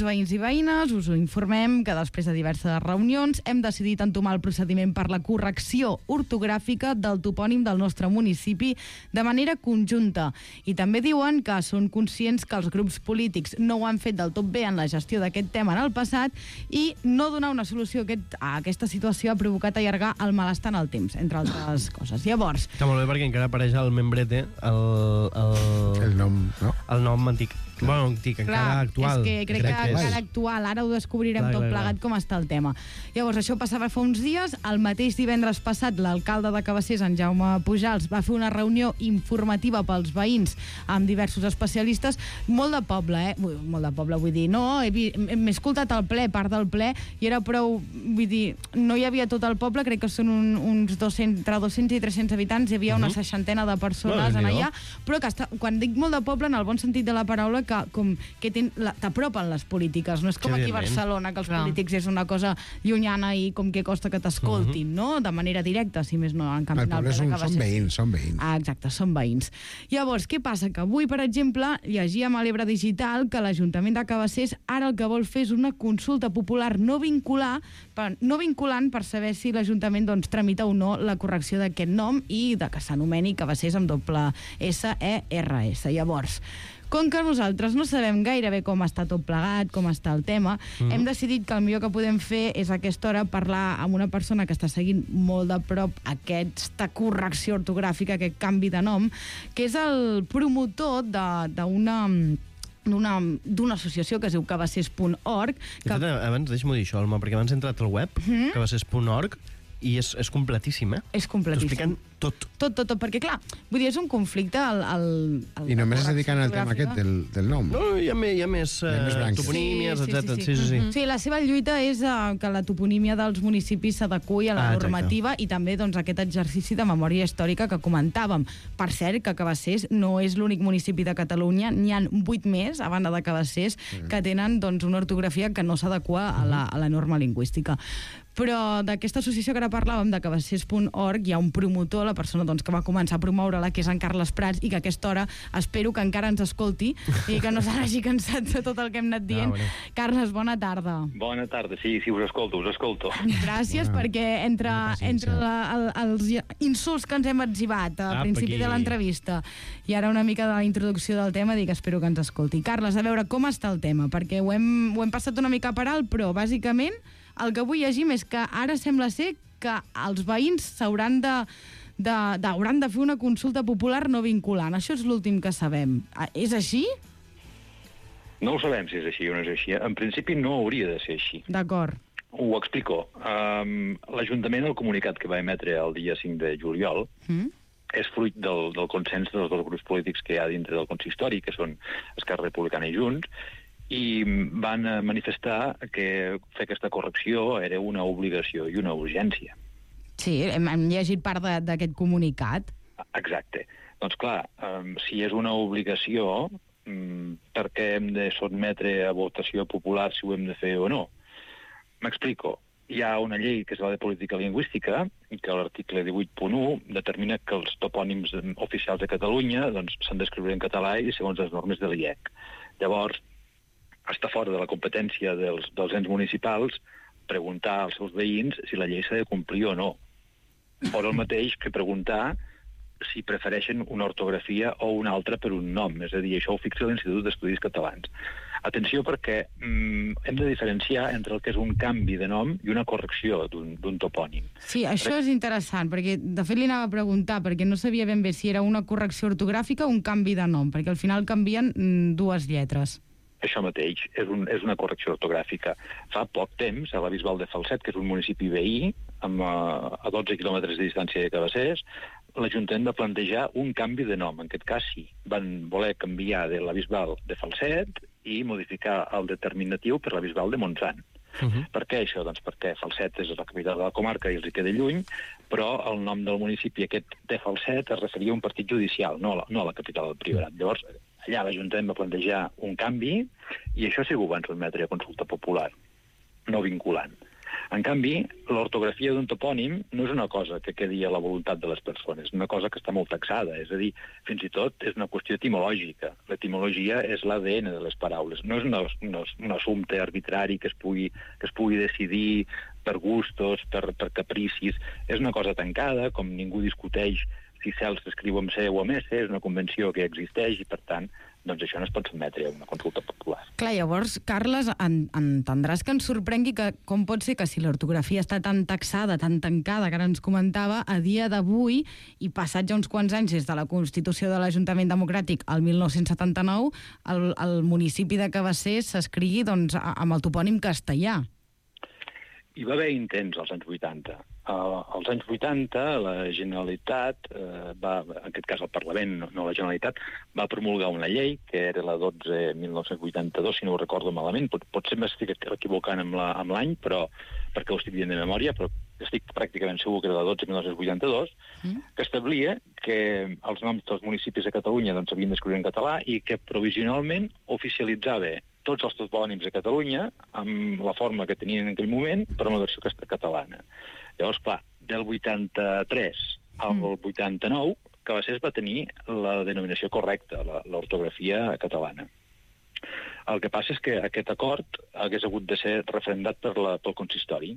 veïns i veïnes, us ho informem que després de diverses reunions hem decidit entomar el procediment per la correcció ortogràfica del topònim del nostre municipi de manera conjunta. I també diuen que són conscients que els grups polítics no ho han fet del tot bé en la gestió d'aquest tema en el passat i no donar una solució a aquesta situació ha provocat allargar el malestar en el temps, entre altres coses. Llavors... Està molt bé perquè encara apareix el membrete, El nom, no? el nom antic. Bueno, antic, encara actual. És que crec que encara actual. Ara ho descobrirem tot plegat com està el tema. Llavors, això passava fa uns dies. El mateix divendres passat, l'alcalde de Cabassers, en Jaume Pujals, va fer una reunió informativa pels veïns amb diversos especialistes. Molt de poble, Molt de poble, vull dir. No, m'he escoltat el ple, part del ple, i era prou... Vull dir, no hi havia tot el poble, crec que són uns 200, entre 200 i 300 habitants, hi havia una seixantena de persones en allà, però que quan dic molt de poble, en el bon sentit de la paraula, que que t'apropen les polítiques. No és com aquí a Barcelona, que els polítics és una cosa llunyana i com que costa que t'escoltin, no? De manera directa, si més no, en canvi. El poble són veïns, són veïns. Ah, exacte, són veïns. Llavors, què passa? Que avui, per exemple, llegíem a l'Ebre Digital que l'Ajuntament de Cabassers ara el que vol fer és una consulta popular no vinculant per saber si l'Ajuntament tramita o no la correcció d'aquest nom i de que s'anomeni Cabassers amb doble S-E-R-S. Llavors, com que nosaltres no sabem gairebé com està tot plegat, com està el tema, hem decidit que el millor que podem fer és a aquesta hora parlar amb una persona que està seguint molt de prop aquesta correcció ortogràfica, aquest canvi de nom, que és el promotor d'una associació que es diu cabassers.org. Abans, deixa'm dir això, Alma, perquè abans he entrat al web, cabassers.org, i és completíssim, És completíssim. T'ho expliquen tot. Tot, perquè clar, vull dir, és un conflicte I només es dediquen al tema aquest del nom. No, hi ha més toponímies, etc. Sí, la seva lluita és que la toponímia dels municipis s'adequi a la normativa i també aquest exercici de memòria històrica que comentàvem. Per cert, que Cabassers no és l'únic municipi de Catalunya, n'hi ha 8 més, a banda de Cabassers, que tenen una ortografia que no s'adequa a la norma lingüística. Però d'aquesta associació que ara parlàvem, de cabassers.org, hi ha un promotor, la persona que va començar a promoure-la, que és en Carles Prats, i que a aquesta hora espero que encara ens escolti i que no se n'hagi cansat de tot el que hem anat dient. Carles, bona tarda. Bona tarda, sí, us escolto. Gràcies, perquè entre els insults que ens hem etzibat al principi de l'entrevista i ara una mica de la introducció del tema, dic, espero que ens escolti. Carles, a veure, com està el tema? Perquè ho hem passat una mica per alt, però bàsicament el que vull llegir és que ara sembla ser que els veïns hauran de fer una consulta popular no vinculant. Això és l'últim que sabem. És així? No ho sabem si és així o no és així. En principi no hauria de ser així. D'acord. Ho explico. L'Ajuntament, el comunicat que va emetre el dia 5 de juliol, és fruit del consens dels dos grups polítics que hi ha dintre del consistori, que són Esquerra Republicana i Junts, i van manifestar que fer aquesta correcció era una obligació i una urgència. Sí, hem llegit part d'aquest comunicat. Exacte. Doncs clar, si és una obligació, per què hem de sotmetre a votació popular si ho hem de fer o no? M'explico. Hi ha una llei que és la de política lingüística i que l'article 18.1 determina que els topònims oficials de Catalunya s'han d'escriure en català i segons les normes de l'IEC. Llavors, està fora de la competència dels ens municipals preguntar als seus veïns si la llei s'ha de complir o no. Fora el mateix que preguntar si prefereixen una ortografia o una altra per un nom. És a dir, això ho fixa l'Institut d'Estudis Catalans. Atenció, perquè hem de diferenciar entre el que és un canvi de nom i una correcció d'un topònim. Sí, això és interessant, perquè de fet li anava a preguntar, perquè no sabia ben bé si era una correcció ortogràfica o un canvi de nom, perquè al final canvien 2 lletres. Això mateix, és una correcció ortogràfica. Fa poc temps, a la Bisbal de Falset, que és un municipi veí, a 12 quilòmetres de distància de Cabassers, l'Ajuntament va plantejar un canvi de nom. En aquest cas, sí. Van voler canviar de la Bisbal de Falset i modificar el determinatiu per la Bisbal de Montsant. Per què això? Doncs perquè Falset és la capital de la comarca i els hi queda lluny, però el nom del municipi aquest de Falset es referia a un partit judicial, no a la capital del Priorat. Llavors, allà l'Ajuntament va plantejar un canvi i això sí que ho van sotmetre a consulta popular, no vinculant. En canvi, l'ortografia d'un topònim no és una cosa que quedi a la voluntat de les persones, és una cosa que està molt taxada, és a dir, fins i tot és una qüestió etimològica. L'etimologia és l'ADN de les paraules, no és un assumpte arbitrari que es pugui decidir per gustos, per capricis, és una cosa tancada, com ningú discuteix si cel s'escriu amb C o amb S, és una convenció que existeix i, per tant, doncs això no es pot sotmetre a una consulta popular. Clar, llavors, Carles, entendràs que ens sorprengui que com pot ser que si l'ortografia està tan taxada, tan tancada, que ara ens comentava, a dia d'avui, i passats ja uns quants anys des de la Constitució de l'Ajuntament Democràtic al 1979, el municipi de Cabassers s'escrigui amb el topònim castellà. Hi va haver intents als anys 80. Als anys 80 la Generalitat, en aquest cas el Parlament, no la Generalitat, va promulgar una llei, que era la 12/1982, si no ho recordo malament. Potser m'estic equivocant amb l'any, però perquè ho estic dient de memòria, però estic pràcticament segur que era de 12.982, que establia que els noms dels municipis de Catalunya doncs, s'havien d'escriure en català i que provisionalment oficialitzava tots els topònims de Catalunya amb la forma que tenien en aquell moment per una versió catalana. Llavors, clar, del 83 al 89, Cabassers va tenir la denominació correcta, l'ortografia catalana. El que passa és que aquest acord hagués hagut de ser referendat pel consistori.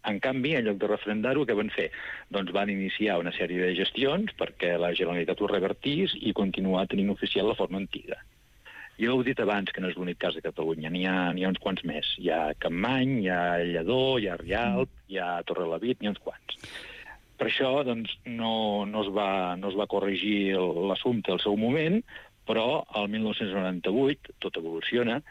En canvi, en lloc de referendar-ho, què van fer? Doncs van iniciar una sèrie de gestions perquè la Generalitat ho revertís i continuar tenint oficial la forma antiga. Jo heu dit abans que no és l'únic cas de Catalunya, n'hi ha uns quants més. Hi ha Campmany, hi ha Lledó, hi ha Rialp, hi ha Torrelavit, n'hi ha uns quants. Per això doncs, no es va corregir l'assumpte al seu moment, però el 1998, tot evoluciona,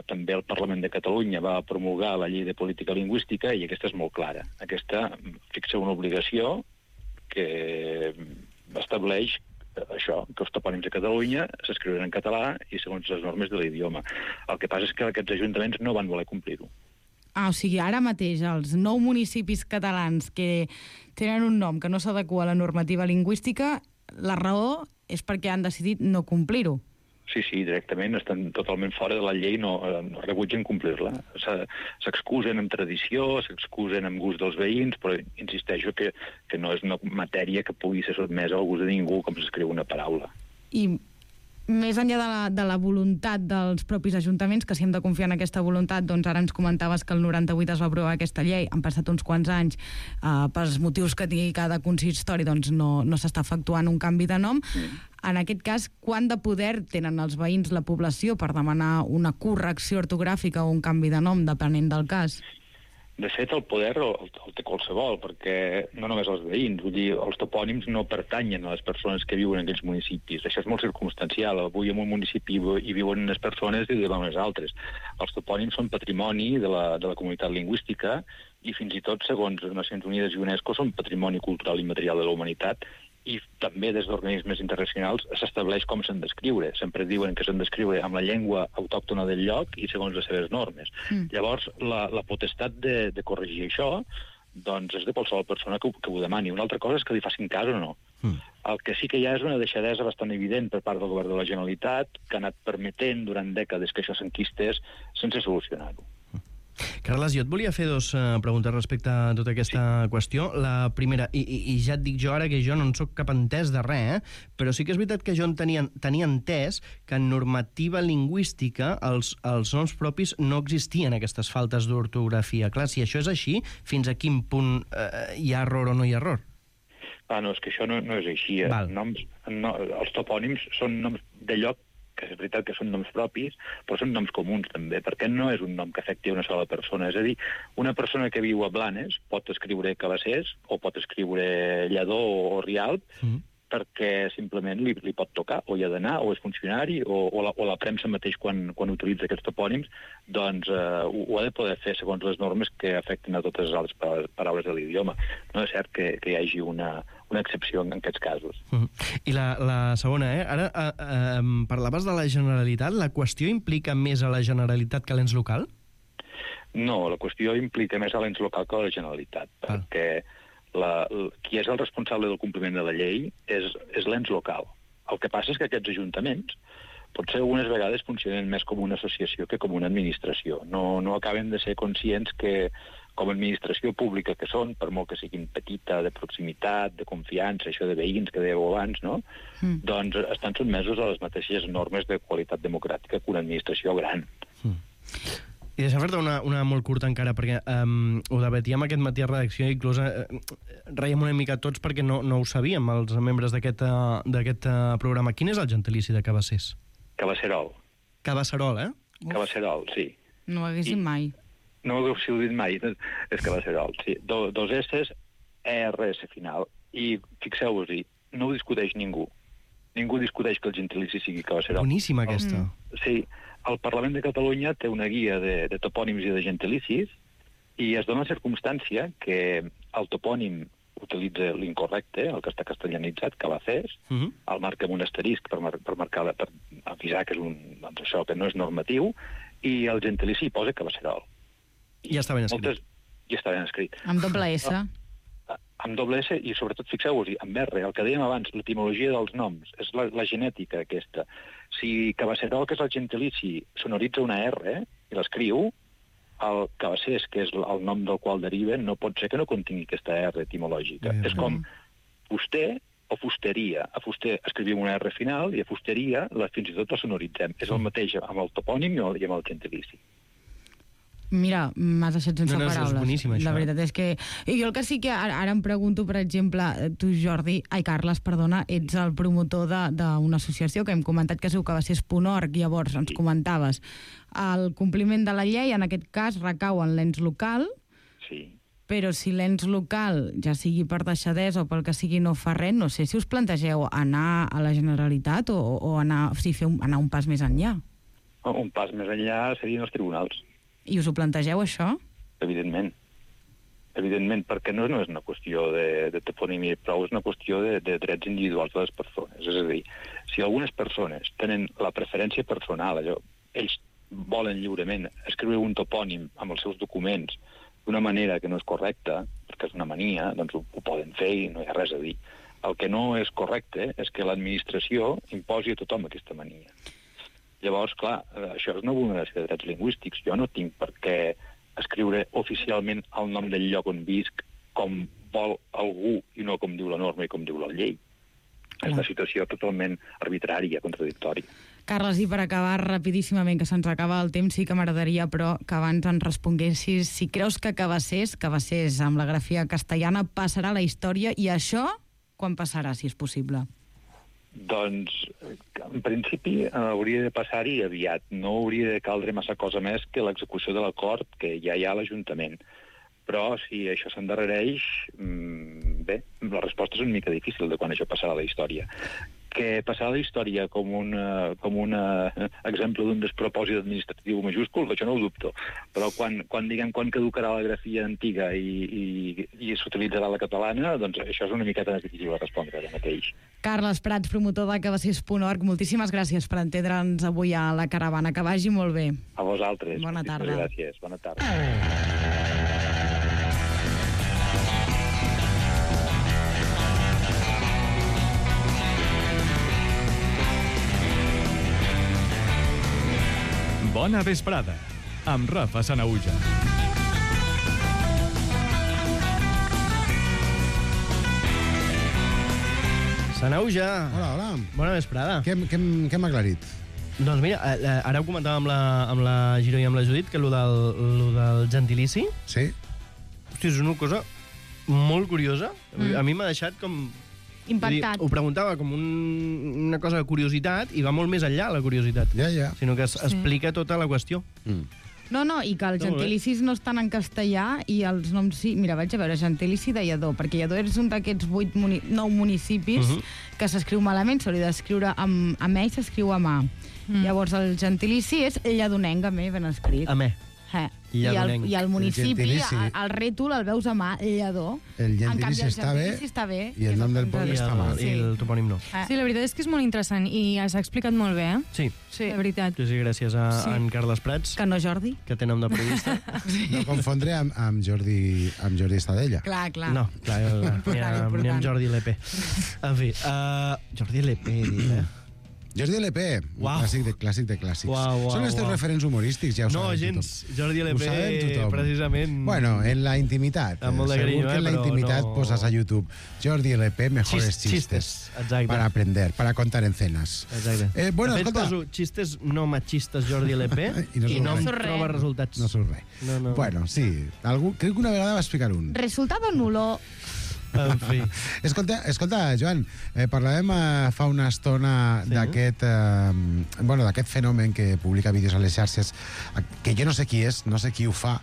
també el Parlament de Catalunya va promulgar la llei de política lingüística i aquesta és molt clara. Aquesta fixa una obligació que estableix això, que els topònims de Catalunya s'escriuran en català i segons les normes de l'idioma. El que passa és que aquests ajuntaments no van voler complir-ho. O sigui, ara mateix els 9 municipis catalans que tenen un nom que no s'adequa a la normativa lingüística, la raó és perquè han decidit no complir-ho. Sí, directament, estan totalment fora de la llei, no rebutgen complir-la. S'excusen amb tradició, s'excusen amb gust dels veïns, però insisteixo que no és una matèria que pugui ser sotmesa al gust de ningú, com s'escriu una paraula. I més enllà de la voluntat dels propis ajuntaments, que si hem de confiar en aquesta voluntat, doncs ara ens comentaves que el 98 es va aprovar aquesta llei, han passat uns quants anys, pels motius que tingui cada consistori, doncs no s'està efectuant un canvi de nom. En aquest cas, quant de poder tenen els veïns, la població, per demanar una correcció ortogràfica o un canvi de nom, depenent del cas? De fet, el poder el té qualsevol, perquè no només els veïns, vull dir, els topònims no pertanyen a les persones que viuen en aquells municipis. Això és molt circumstancial. Avui en un municipi hi viuen unes persones i demà unes altres. Els topònims són patrimoni de la comunitat lingüística i fins i tot, segons les Nacions Unides i UNESCO, són patrimoni cultural immaterial de la humanitat i també des d'organismes internacionals s'estableix com s'han d'escriure. Sempre diuen que s'han d'escriure amb la llengua autòctona del lloc i segons les seves normes. Llavors, la potestat de corregir això doncs és de qualsevol persona que ho demani. Una altra cosa és que li facin cas o no. El que sí que hi ha és una deixadesa bastant evident per part del govern de la Generalitat que ha anat permetent durant dècades que això s'enquistés sense solucionar-ho. Carles, jo et volia fer 2 preguntes respecte a tota aquesta qüestió. La primera, i ja et dic jo ara que jo no en soc cap entès de res, però sí que és veritat que jo tenia entès que en normativa lingüística els noms propis no existien aquestes faltes d'ortografia. Clar, si això és així, fins a quin punt hi ha error o no hi ha error? No, és que això no és així. Els topònims són noms de lloc, que és veritat que són noms propis, però són noms comuns també, perquè no és un nom que afecti una sola persona. És a dir, una persona que viu a Blanes pot escriure Cabassers o pot escriure Lledó o Rialp perquè simplement li pot tocar, o hi ha d'anar, o és funcionari, o la premsa mateix quan utilitza aquests topònims, doncs ho ha de poder fer segons les normes que afecten a totes les altres paraules de l'idioma. No és cert que hi hagi una excepció en aquests casos. I la segona, ara parlaves de la Generalitat. La qüestió implica més a la Generalitat que a l'ens local? No, la qüestió implica més a l'ens local que a la Generalitat, perquè qui és el responsable del compliment de la llei és l'ens local. El que passa és que aquests ajuntaments potser algunes vegades funcionen més com una associació que com una administració. No acaben de ser conscients que com a administració pública que són, per molt que siguin petita, de proximitat, de confiança, això de veïns que dèieu abans, no? Doncs estan sotmesos a les mateixes normes de qualitat democràtica que una administració gran. I deixa'm fer-te una molt curta encara, perquè ho debatíem aquest matí a redacció i inclús reiem una mica tots perquè no ho sabíem, els membres d'aquest programa. Quin és el gentilici de Cabassers? Cabasserol. Cabasserol, Cabasserol, sí. No ho haguéssim mai. No ho haguéssiu dit mai, és Cabasserol, sí. 2 S's, ERS final. I fixeu-vos-hi, no ho discuteix ningú. Ningú discuteix que el gentilici sigui Cabasserol. Boníssima aquesta. Sí. El Parlament de Catalunya té una guia de topònims i de gentilicis i es dona la circumstància que el topònim utilitza l'incorrecte, el que està castellanitzat, Cabacés, el marca amb un asterisc per avisar que és això, que no és normatiu, i el gentilici posa Cabasserol. I ja està ben escrit. i està ben escrit. Amb doble S. Amb doble S i, sobretot, fixeu-vos-hi, amb R, el que dèiem abans, l'etimologia dels noms, és la genètica aquesta. Si Cabasserol, que és el gentilici, sonoritza una R i l'escriu, el Cabassers, que és el nom del qual deriven, no pot ser que no contingui aquesta R etimològica. És com fuster o fusteria. A fuster escrivim una R final i a fusteria fins i tot la sonoritzem. És el mateix amb el topònim i amb el gentilici. Mira, m'has deixat sense paraules. És boníssim, això. La veritat és que... I jo el que sí que ara em pregunto, per exemple, tu, Carles, ets el promotor d'una associació que hem comentat que es diu cabassers.org, llavors ens comentaves el compliment de la llei, en aquest cas, recau en l'ens local, però si l'ens local, ja sigui per deixadesa o pel que sigui, no fa res, no sé si us plantegeu anar a la Generalitat o anar un pas més enllà. Un pas més enllà serien els tribunals. I us ho plantegeu, això? Evidentment. Evidentment, perquè no és una qüestió de toponímia prou, és una qüestió de drets individuals de les persones. És a dir, si algunes persones tenen la preferència personal, ells volen lliurement escriure un topònim amb els seus documents d'una manera que no és correcta, perquè és una mania, doncs ho poden fer i no hi ha res a dir. El que no és correcte és que l'administració imposi a tothom aquesta mania. Llavors, clar, això és una vulneració de drets lingüístics. Jo no tinc per què escriure oficialment el nom del lloc on visc com vol algú i no com diu la norma i com diu la llei. És una situació totalment arbitrària, contradictòria. Carles, i per acabar rapidíssimament, que se'ns acaba el temps, sí que m'agradaria, però que abans ens responguessis si creus que Cabassers amb la grafia castellana, passarà a la història, i això quan passarà, si és possible? Doncs, en principi, hauria de passar-hi aviat. No hauria de caldre massa cosa més que l'execució de l'acord que ja hi ha a l'Ajuntament. Però, si això s'endarrereix, bé, la resposta és una mica difícil de quan això passarà a la història. Que passarà a la història com un exemple d'un despropòsit administratiu majúscul, això no ho dubto. Però quan caducarà la grafia antiga i s'utilitzarà la catalana, doncs això és una miqueta difícil de respondre ara mateix. Carles Prats, promotor de cabassers.org, moltíssimes gràcies per entendre'ns avui a la caravana. Que vagi molt bé. A vosaltres. Bona tarda. Gràcies. Bona tarda. Bona vesprada, amb Rafa Sanahuja. Sanahuja. Hola. Bona vesprada. Què hem aclarit? Doncs mira, ara ho comentàvem amb la Giro i amb la Judit, que lo del gentilici... Sí. Hòstia, és una cosa molt curiosa. A mi m'ha deixat com... Impactat. Ho preguntava com una cosa de curiositat i va molt més enllà la curiositat. Ja. Sinó que explica tota la qüestió. No, i que els gentilicis no estan en castellà i els noms sí. Mira, vaig a veure, gentilici de Lledó, perquè Lledó és un d'aquests 9 municipis que s'escriu malament, s'hauria d'escriure amb E i s'escriu amb A. Llavors el gentilici és lledonenc, amb E ben escrit. Amb E. I el municipi, el rètol el veus amb A, Lledó. El gentilici està bé i el nom del poble està mal. I el topònim no. Sí, la veritat és que és molt interessant i s'ha explicat molt bé, Sí. La veritat. Sí, gràcies a en Carles Prats, Que no, Jordi? que té nom de periodista. No confondre amb Jordi Estadella. Clar. No, clar, ni amb Jordi LP. En fi, Jordi LP, Jordi LP, Uau. clàssic de clàssics. Uau, Són els teus referents humorístics, ja ho No, saben gens. tothom. Jordi Ho LP, sabem tothom. precisament... Bueno, en la intimitat. Amb molt de Segur carinyo, que en la però intimitat no... poses a YouTube Jordi LP, mejores chistes. Exacte. Para aprender, para contar en cenas. Exacte. Bueno, de fet, escolta... poso xistes no machistes Jordi LP I no em surt res. troba resultats. No surt res. No. Bueno, sí. Crec que una vegada va explicar un. Resultado nulo. En fi. Escolta, Joan, parlàvem fa una estona d'aquest fenomen que publica vídeos a les xarxes, que jo no sé qui és, no sé qui ho fa,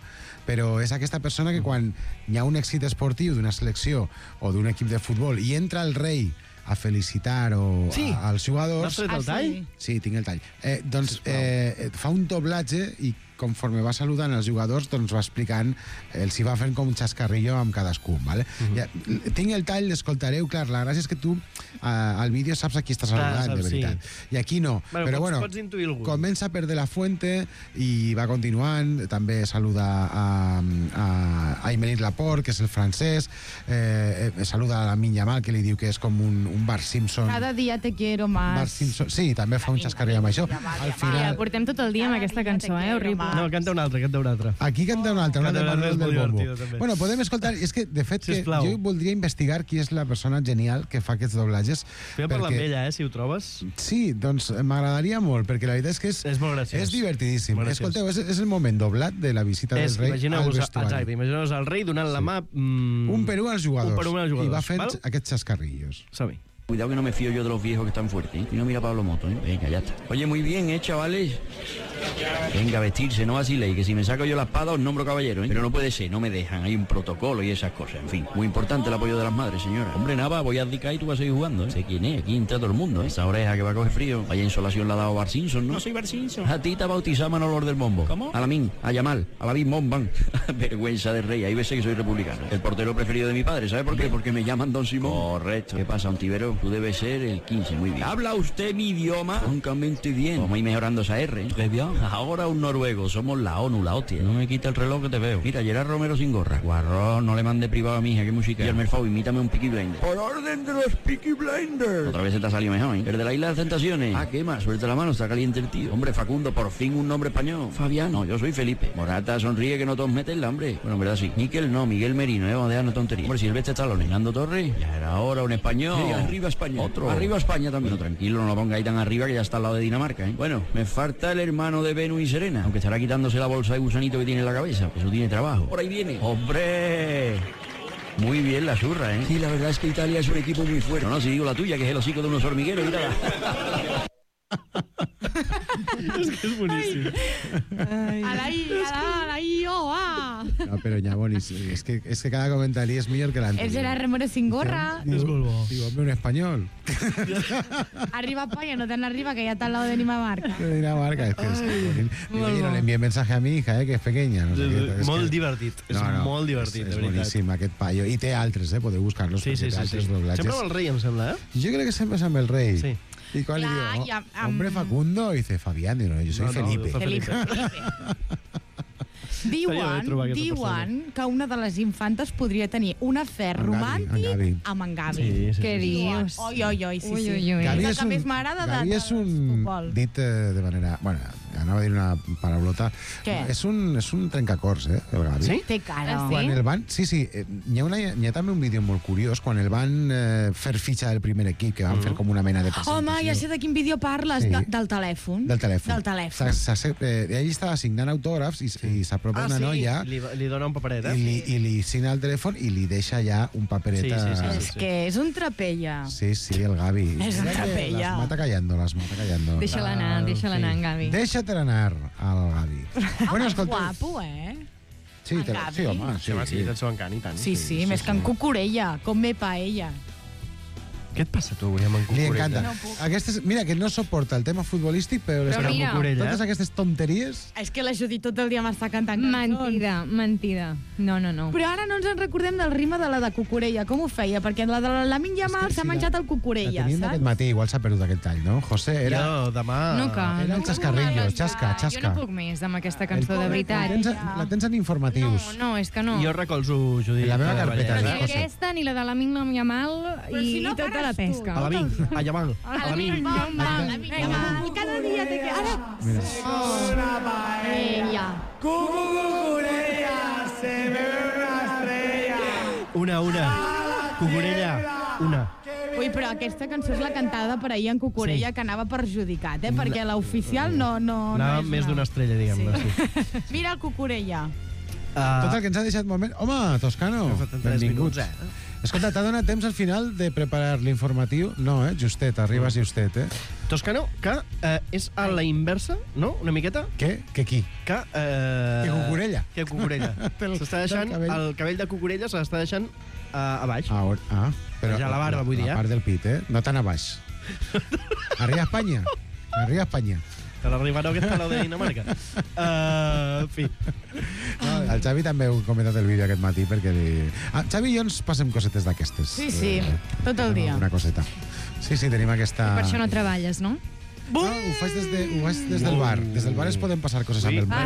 però és aquesta persona que quan hi ha un èxit esportiu d'una selecció o d'un equip de futbol i entra el rei a felicitar als jugadors... N'has tret el tall? Sí, tinc el tall. Fa un doblatge i conforme va saludant els jugadors, doncs va explicant, els hi va fent com un xascarrillo amb cadascun, ¿vale? Ja, tinc el tall, l'escoltareu, clar, la gràcia és que tu al vídeo saps a qui estàs saludant, de veritat. I aquí no. Però bueno, pots intuir algun. Comença per De La Fuente i va continuant, també saluda a Aymeric Laporte, que és el francès, saluda a la Lamine Yamal, que li diu que és com un Bart Simpson. Cada dia te quiero más. Bart Simpson, sí, també fa un xascarrillo amb això. Al final... Portem tot el dia amb aquesta cançó, horrible. No, canta una altra. Aquí canta una altra, una de Manuel del Bombo. També. Bueno, podem escoltar... És que, de fet, Sisplau. jo voldria investigar qui és la persona genial que fa aquests doblatges. Fem parlar amb ella, si ho trobes. Sí, doncs m'agradaria molt, perquè la veritat és que és molt graciós. És divertidíssim. Escolteu, és el moment doblat de la visita del rei al vestuari. Exacte, imagineu-vos el rei donant la mà... Un per un als jugadors. I va fent aquests xascarrillos. Som-hi. Cuidado que no me fío yo de los viejos que están fuertes, ¿eh? Y no mira a Pablo Moto, ¿eh? Venga, ya está. Oye, muy bien, chavales. Venga, a vestirse, no vaciléis, que si me saco yo la espada os nombro caballero, ¿eh? Pero no puede ser, no me dejan, hay un protocolo y esas cosas, en fin. Muy importante el apoyo de las madres, señora. Hombre, nada, voy a abdicar y tú vas a seguir jugando, ¿eh? Sé quién es, aquí entra todo el mundo, ¿eh? Esa oreja que va a coger frío. Vaya insolación la ha dado Bart Simpson, ¿no? No soy Bart Simpson. A ti te ha bautizado Manolor del Bombo. ¿Cómo? A Lamin, a Yamal, a la Bomban. Vergüenza de rey, ahí ves que soy republicano. El portero preferido de mi padre, ¿sabe por qué? Porque me llaman Don Simón. Correcto. ¿Qué pasa, Ontivero? Tú debes ser el 15, muy bien. ¿Habla usted mi idioma? Francamente bien. Vamos a ir mejorando esa R, ¿eh? Très bien. Ahora un noruego, somos la ONU, la hostia. No me quita el reloj que te veo. Mira, Gerard Romero sin gorra. Guarrón, no le mande privado a mi hija, qué música. Y el Merfau, imítame un Peaky Blinder. Por orden de los Peaky Blinders. Otra vez se te ha salido mejor, ¿eh? El de la Isla de las Tentaciones. Ah, ¿qué más? Suelta la mano, está caliente el tío. Hombre, Facundo, por fin un nombre español. Fabiano, yo soy Felipe. Morata, sonríe que no todos meten el hambre. Bueno, en verdad sí. Miquel no, Miguel Merino, vamos a dejarnos tonterías. Hombre, Silvestre Stallone, Nando Torres. Ya era hora un español. Sí, arriba España. Otro. Arriba España también. Bueno, tranquilo, no lo ponga ahí tan arriba que ya está al lado de Dinamarca, ¿eh? Bueno, me falta el hermano de Venus y Serena, aunque estará quitándose la bolsa de gusanito que tiene en la cabeza. Eso tiene trabajo. Por ahí viene. ¡Hombre! Muy bien la zurra, ¿eh? Sí, la verdad es que Italia es un equipo muy fuerte. No, si digo la tuya, que es el hocico de unos hormigueros, mírala. És que és boníssim. No, però Ñabonis, és que cada comentari és millor que l'anterior. El Gerard Romero sin gorra. És molt bo. Digo, hombre, un español. Arriba España, no tan arriba, que ya está al lado de Dinamarca. De Dinamarca, es que es oye, no le envié mensaje a mi hija, que és pequeña. No sé què, molt divertit, és molt divertit, de és veritat. boníssim aquest paio. I té altres, podeu buscar-los. Sí. Sempre amb el rei, em sembla, eh? Jo crec que sempre és amb el rei. Sí. ¿Y cuál le digo? Hombre, Facundo. Y dice Fabián, y no, yo soy Felipe. Felipe. Diuen que una de les infantes podria tenir un afer romàntic amb en Gavi. Què dius? Oi, sí. Gavi és el que més m'agrada de Gavi és un... Dit de manera... Bueno, anava a dir una paraulota. Què? És un trencacors, el Gavi. Sí? Té cara. Quan el van... Sí. Hi ha també un vídeo molt curiós, quan el van fer fitxa del primer equip, que van fer com una mena de presentació. Home, ja sé de quin vídeo parles. Sí. Del telèfon. Del telèfon. Ell estava signant autògrafs i s'apropa una noia... Li dona un paperet, I li signa el telèfon i li deixa ja un paperet. És que és un trapella. Sí, el Gavi. És un trapella. Las mata callando. Deixa-la anar, en Gavi. Deixa-te anar, al Gavi. Bueno, guapo, Sí, home. Sí, del seu encant, i tant. Sí, més que en Cucurella, com me paella. Què et passa, tu, avui, amb en Cucurella? Li encanta. Mira, que no soporta el tema futbolístic, però totes aquestes tonteries... És que la Judit tot el dia m'està cantant cançons. Mentida. No. Però ara no ens en recordem del rima de la de Cucurella. Com ho feia? Perquè la de la Lamine Yamal s'ha menjat el Cucurella, saps? La tenim d'aquest matí, igual s'ha perdut aquest tall, no? José, era... No, demà... Era el xascarrillo, xasca. Jo no puc més amb aquesta cançó, de veritat. La tens en informatius. No, és que no. Jo recolzo, Judit. La meva carpeta. Ni aquesta, ni la de Lamine Yamal, i tota la pesca. A Yamal. Cada dia te queda... Ella. Cucurella, se ve una estrella. Una. Cucurella, una. Ui, però aquesta cançó és la cantada per ahir en Cucurella, que anava perjudicat, perquè l'oficial no... Anava més d'una estrella, diguem-ne. Mira el Cucurella. Tot el que ens ha deixat moment... Home, Toscano, benvinguts. Escolta, t'ha donat temps al final de preparar l'informatiu? No, justet, arribes justet, Toscano, que és a la inversa, no? Una miqueta? Què? Que qui? Que Cucurella. Que Cucurella. S'està deixant, el cabell de Cucurella se l'està deixant a baix. Però ja la barba, vull dir, la part del pit, no tan a baix. Arriba a Espanya. Te l'arribarà aquest palau de Dinamarca. En fi. No, el Xavi també ho ha comentat el vídeo aquest matí perquè Xavi i jo ens passem cosetes d'aquestes. Sí, tot el dia. Una coseta. Sí, tenim aquesta... Per això no treballes, no? No, ho faig des del bar. Des del bar es poden passar coses amb el bar.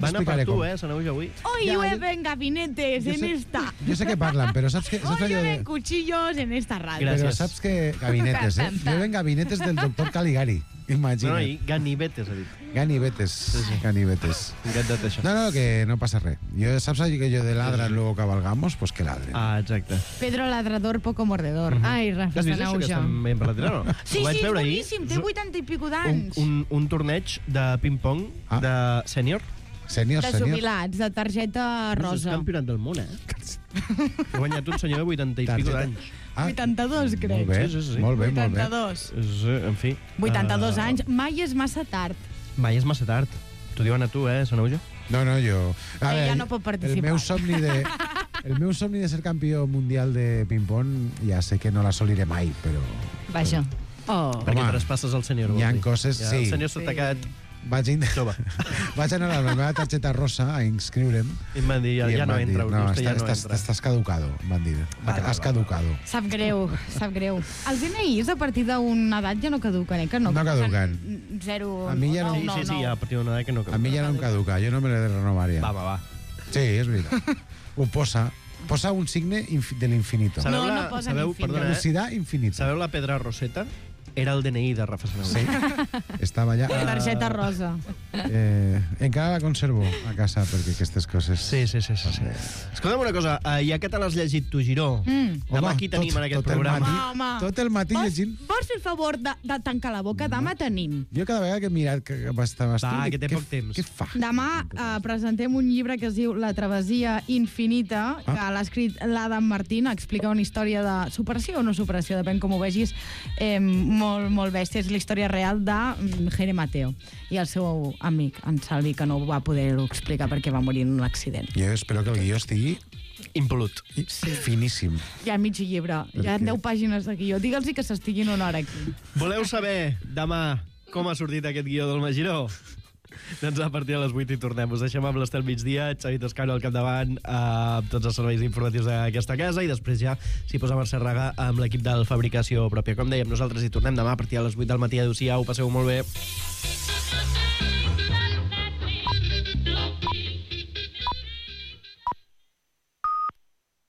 Van a per tu, Sanauja, avui. Hoy llueven gabinetes en esta. Jo sé que parlen, però saps que... Hoy llueven cuchillos en esta radio. Però saps que... Gabinetes, llueven gabinetes del doctor Caligari. Imagina't. No, i ganivetes, ha dit. Ganivetes. Sí. Ganivetes. Encantat, això. No, que no passa res. Saps que jo de ladran, luego cabalgamos, pues que ladren. Ah, exacte. Pedro ladrador, poco mordedor. Ai, Rafa Has vist això que estem ben per retirar, no? Sí, és boníssim, té 80 i pico d'anys. Un torneig de ping-pong de sènior. Sènior. De jubilats, de targeta rosa. És campionat del món, Ha guanyat un senyor de 80 i pico d'anys. 82, crec. Molt bé, sí. molt bé. 82. En fi. 82 anys. Mai és massa tard. Mai és massa tard. T'ho diuen a tu, Sanauja? No, jo... Ella no pot participar. El meu somni de ser campió mundial de ping-pong ja sé que no l'assoliré mai, però... Vaja. Perquè traspasses el senyor. Hi ha coses, sí. El senyor s'ha tacat... Vaig anar a la meva targeta rosa a inscriure'm. I em van dir, ja no entra. No, estàs caducado, em van dir. Has caducado. Sap greu. Els DNIs a partir d'una edat ja no caduquen, que no? No caduquen. 0, a mi ja no. Sí, a partir d'una edat que no caduquen. A mi ja no em caduca, jo no me l'he de renovar ja. Va. Sí, és veritat. Ho posa un signe de l'infinito. No posa l'infinito. Velocitat infinita. Sabeu la pedra roseta? Era el DNI de Rafa Sanauja. Sí, estava allà. Targeta rosa. Encara la conservo a casa, perquè aquestes coses... Sí. Escolta'm una cosa, ja que te l'has llegit tu, Giró, demà aquí tenim en aquest programa. Tot el matí llegint... Vols fer el favor de tancar la boca? Demà tenim. Jo cada vegada que he mirat que estàs tu... que té poc temps. Què fa? Demà presentem un llibre que es diu La travessia infinita, que l'ha escrit l'Adam Martín, explica una història de superació o no superació, depèn com ho vegis, molt bèstia. És la història real de Jere Mateo i el seu amic, en Salvi, que no va poder-ho explicar perquè va morir en un accident. Jo espero que el guió estigui impol·lut. Finíssim. Hi ha mig llibre, hi ha 10 pàgines de guió. Digue'ls que s'estiguin una hora aquí. Voleu saber demà com ha sortit aquest guió del Magiró? Doncs a partir de les 8 hi tornem. Us deixem amb l'Estel Migdia, Xavi Toscano al capdavant, amb tots els serveis informatius d'aquesta casa, i després ja s'hi posa Mercè Raga amb l'equip del Fabricació Pròpia. Com dèiem, nosaltres hi tornem demà a partir de les 8 del matí. Adéu-siau, passeu molt bé.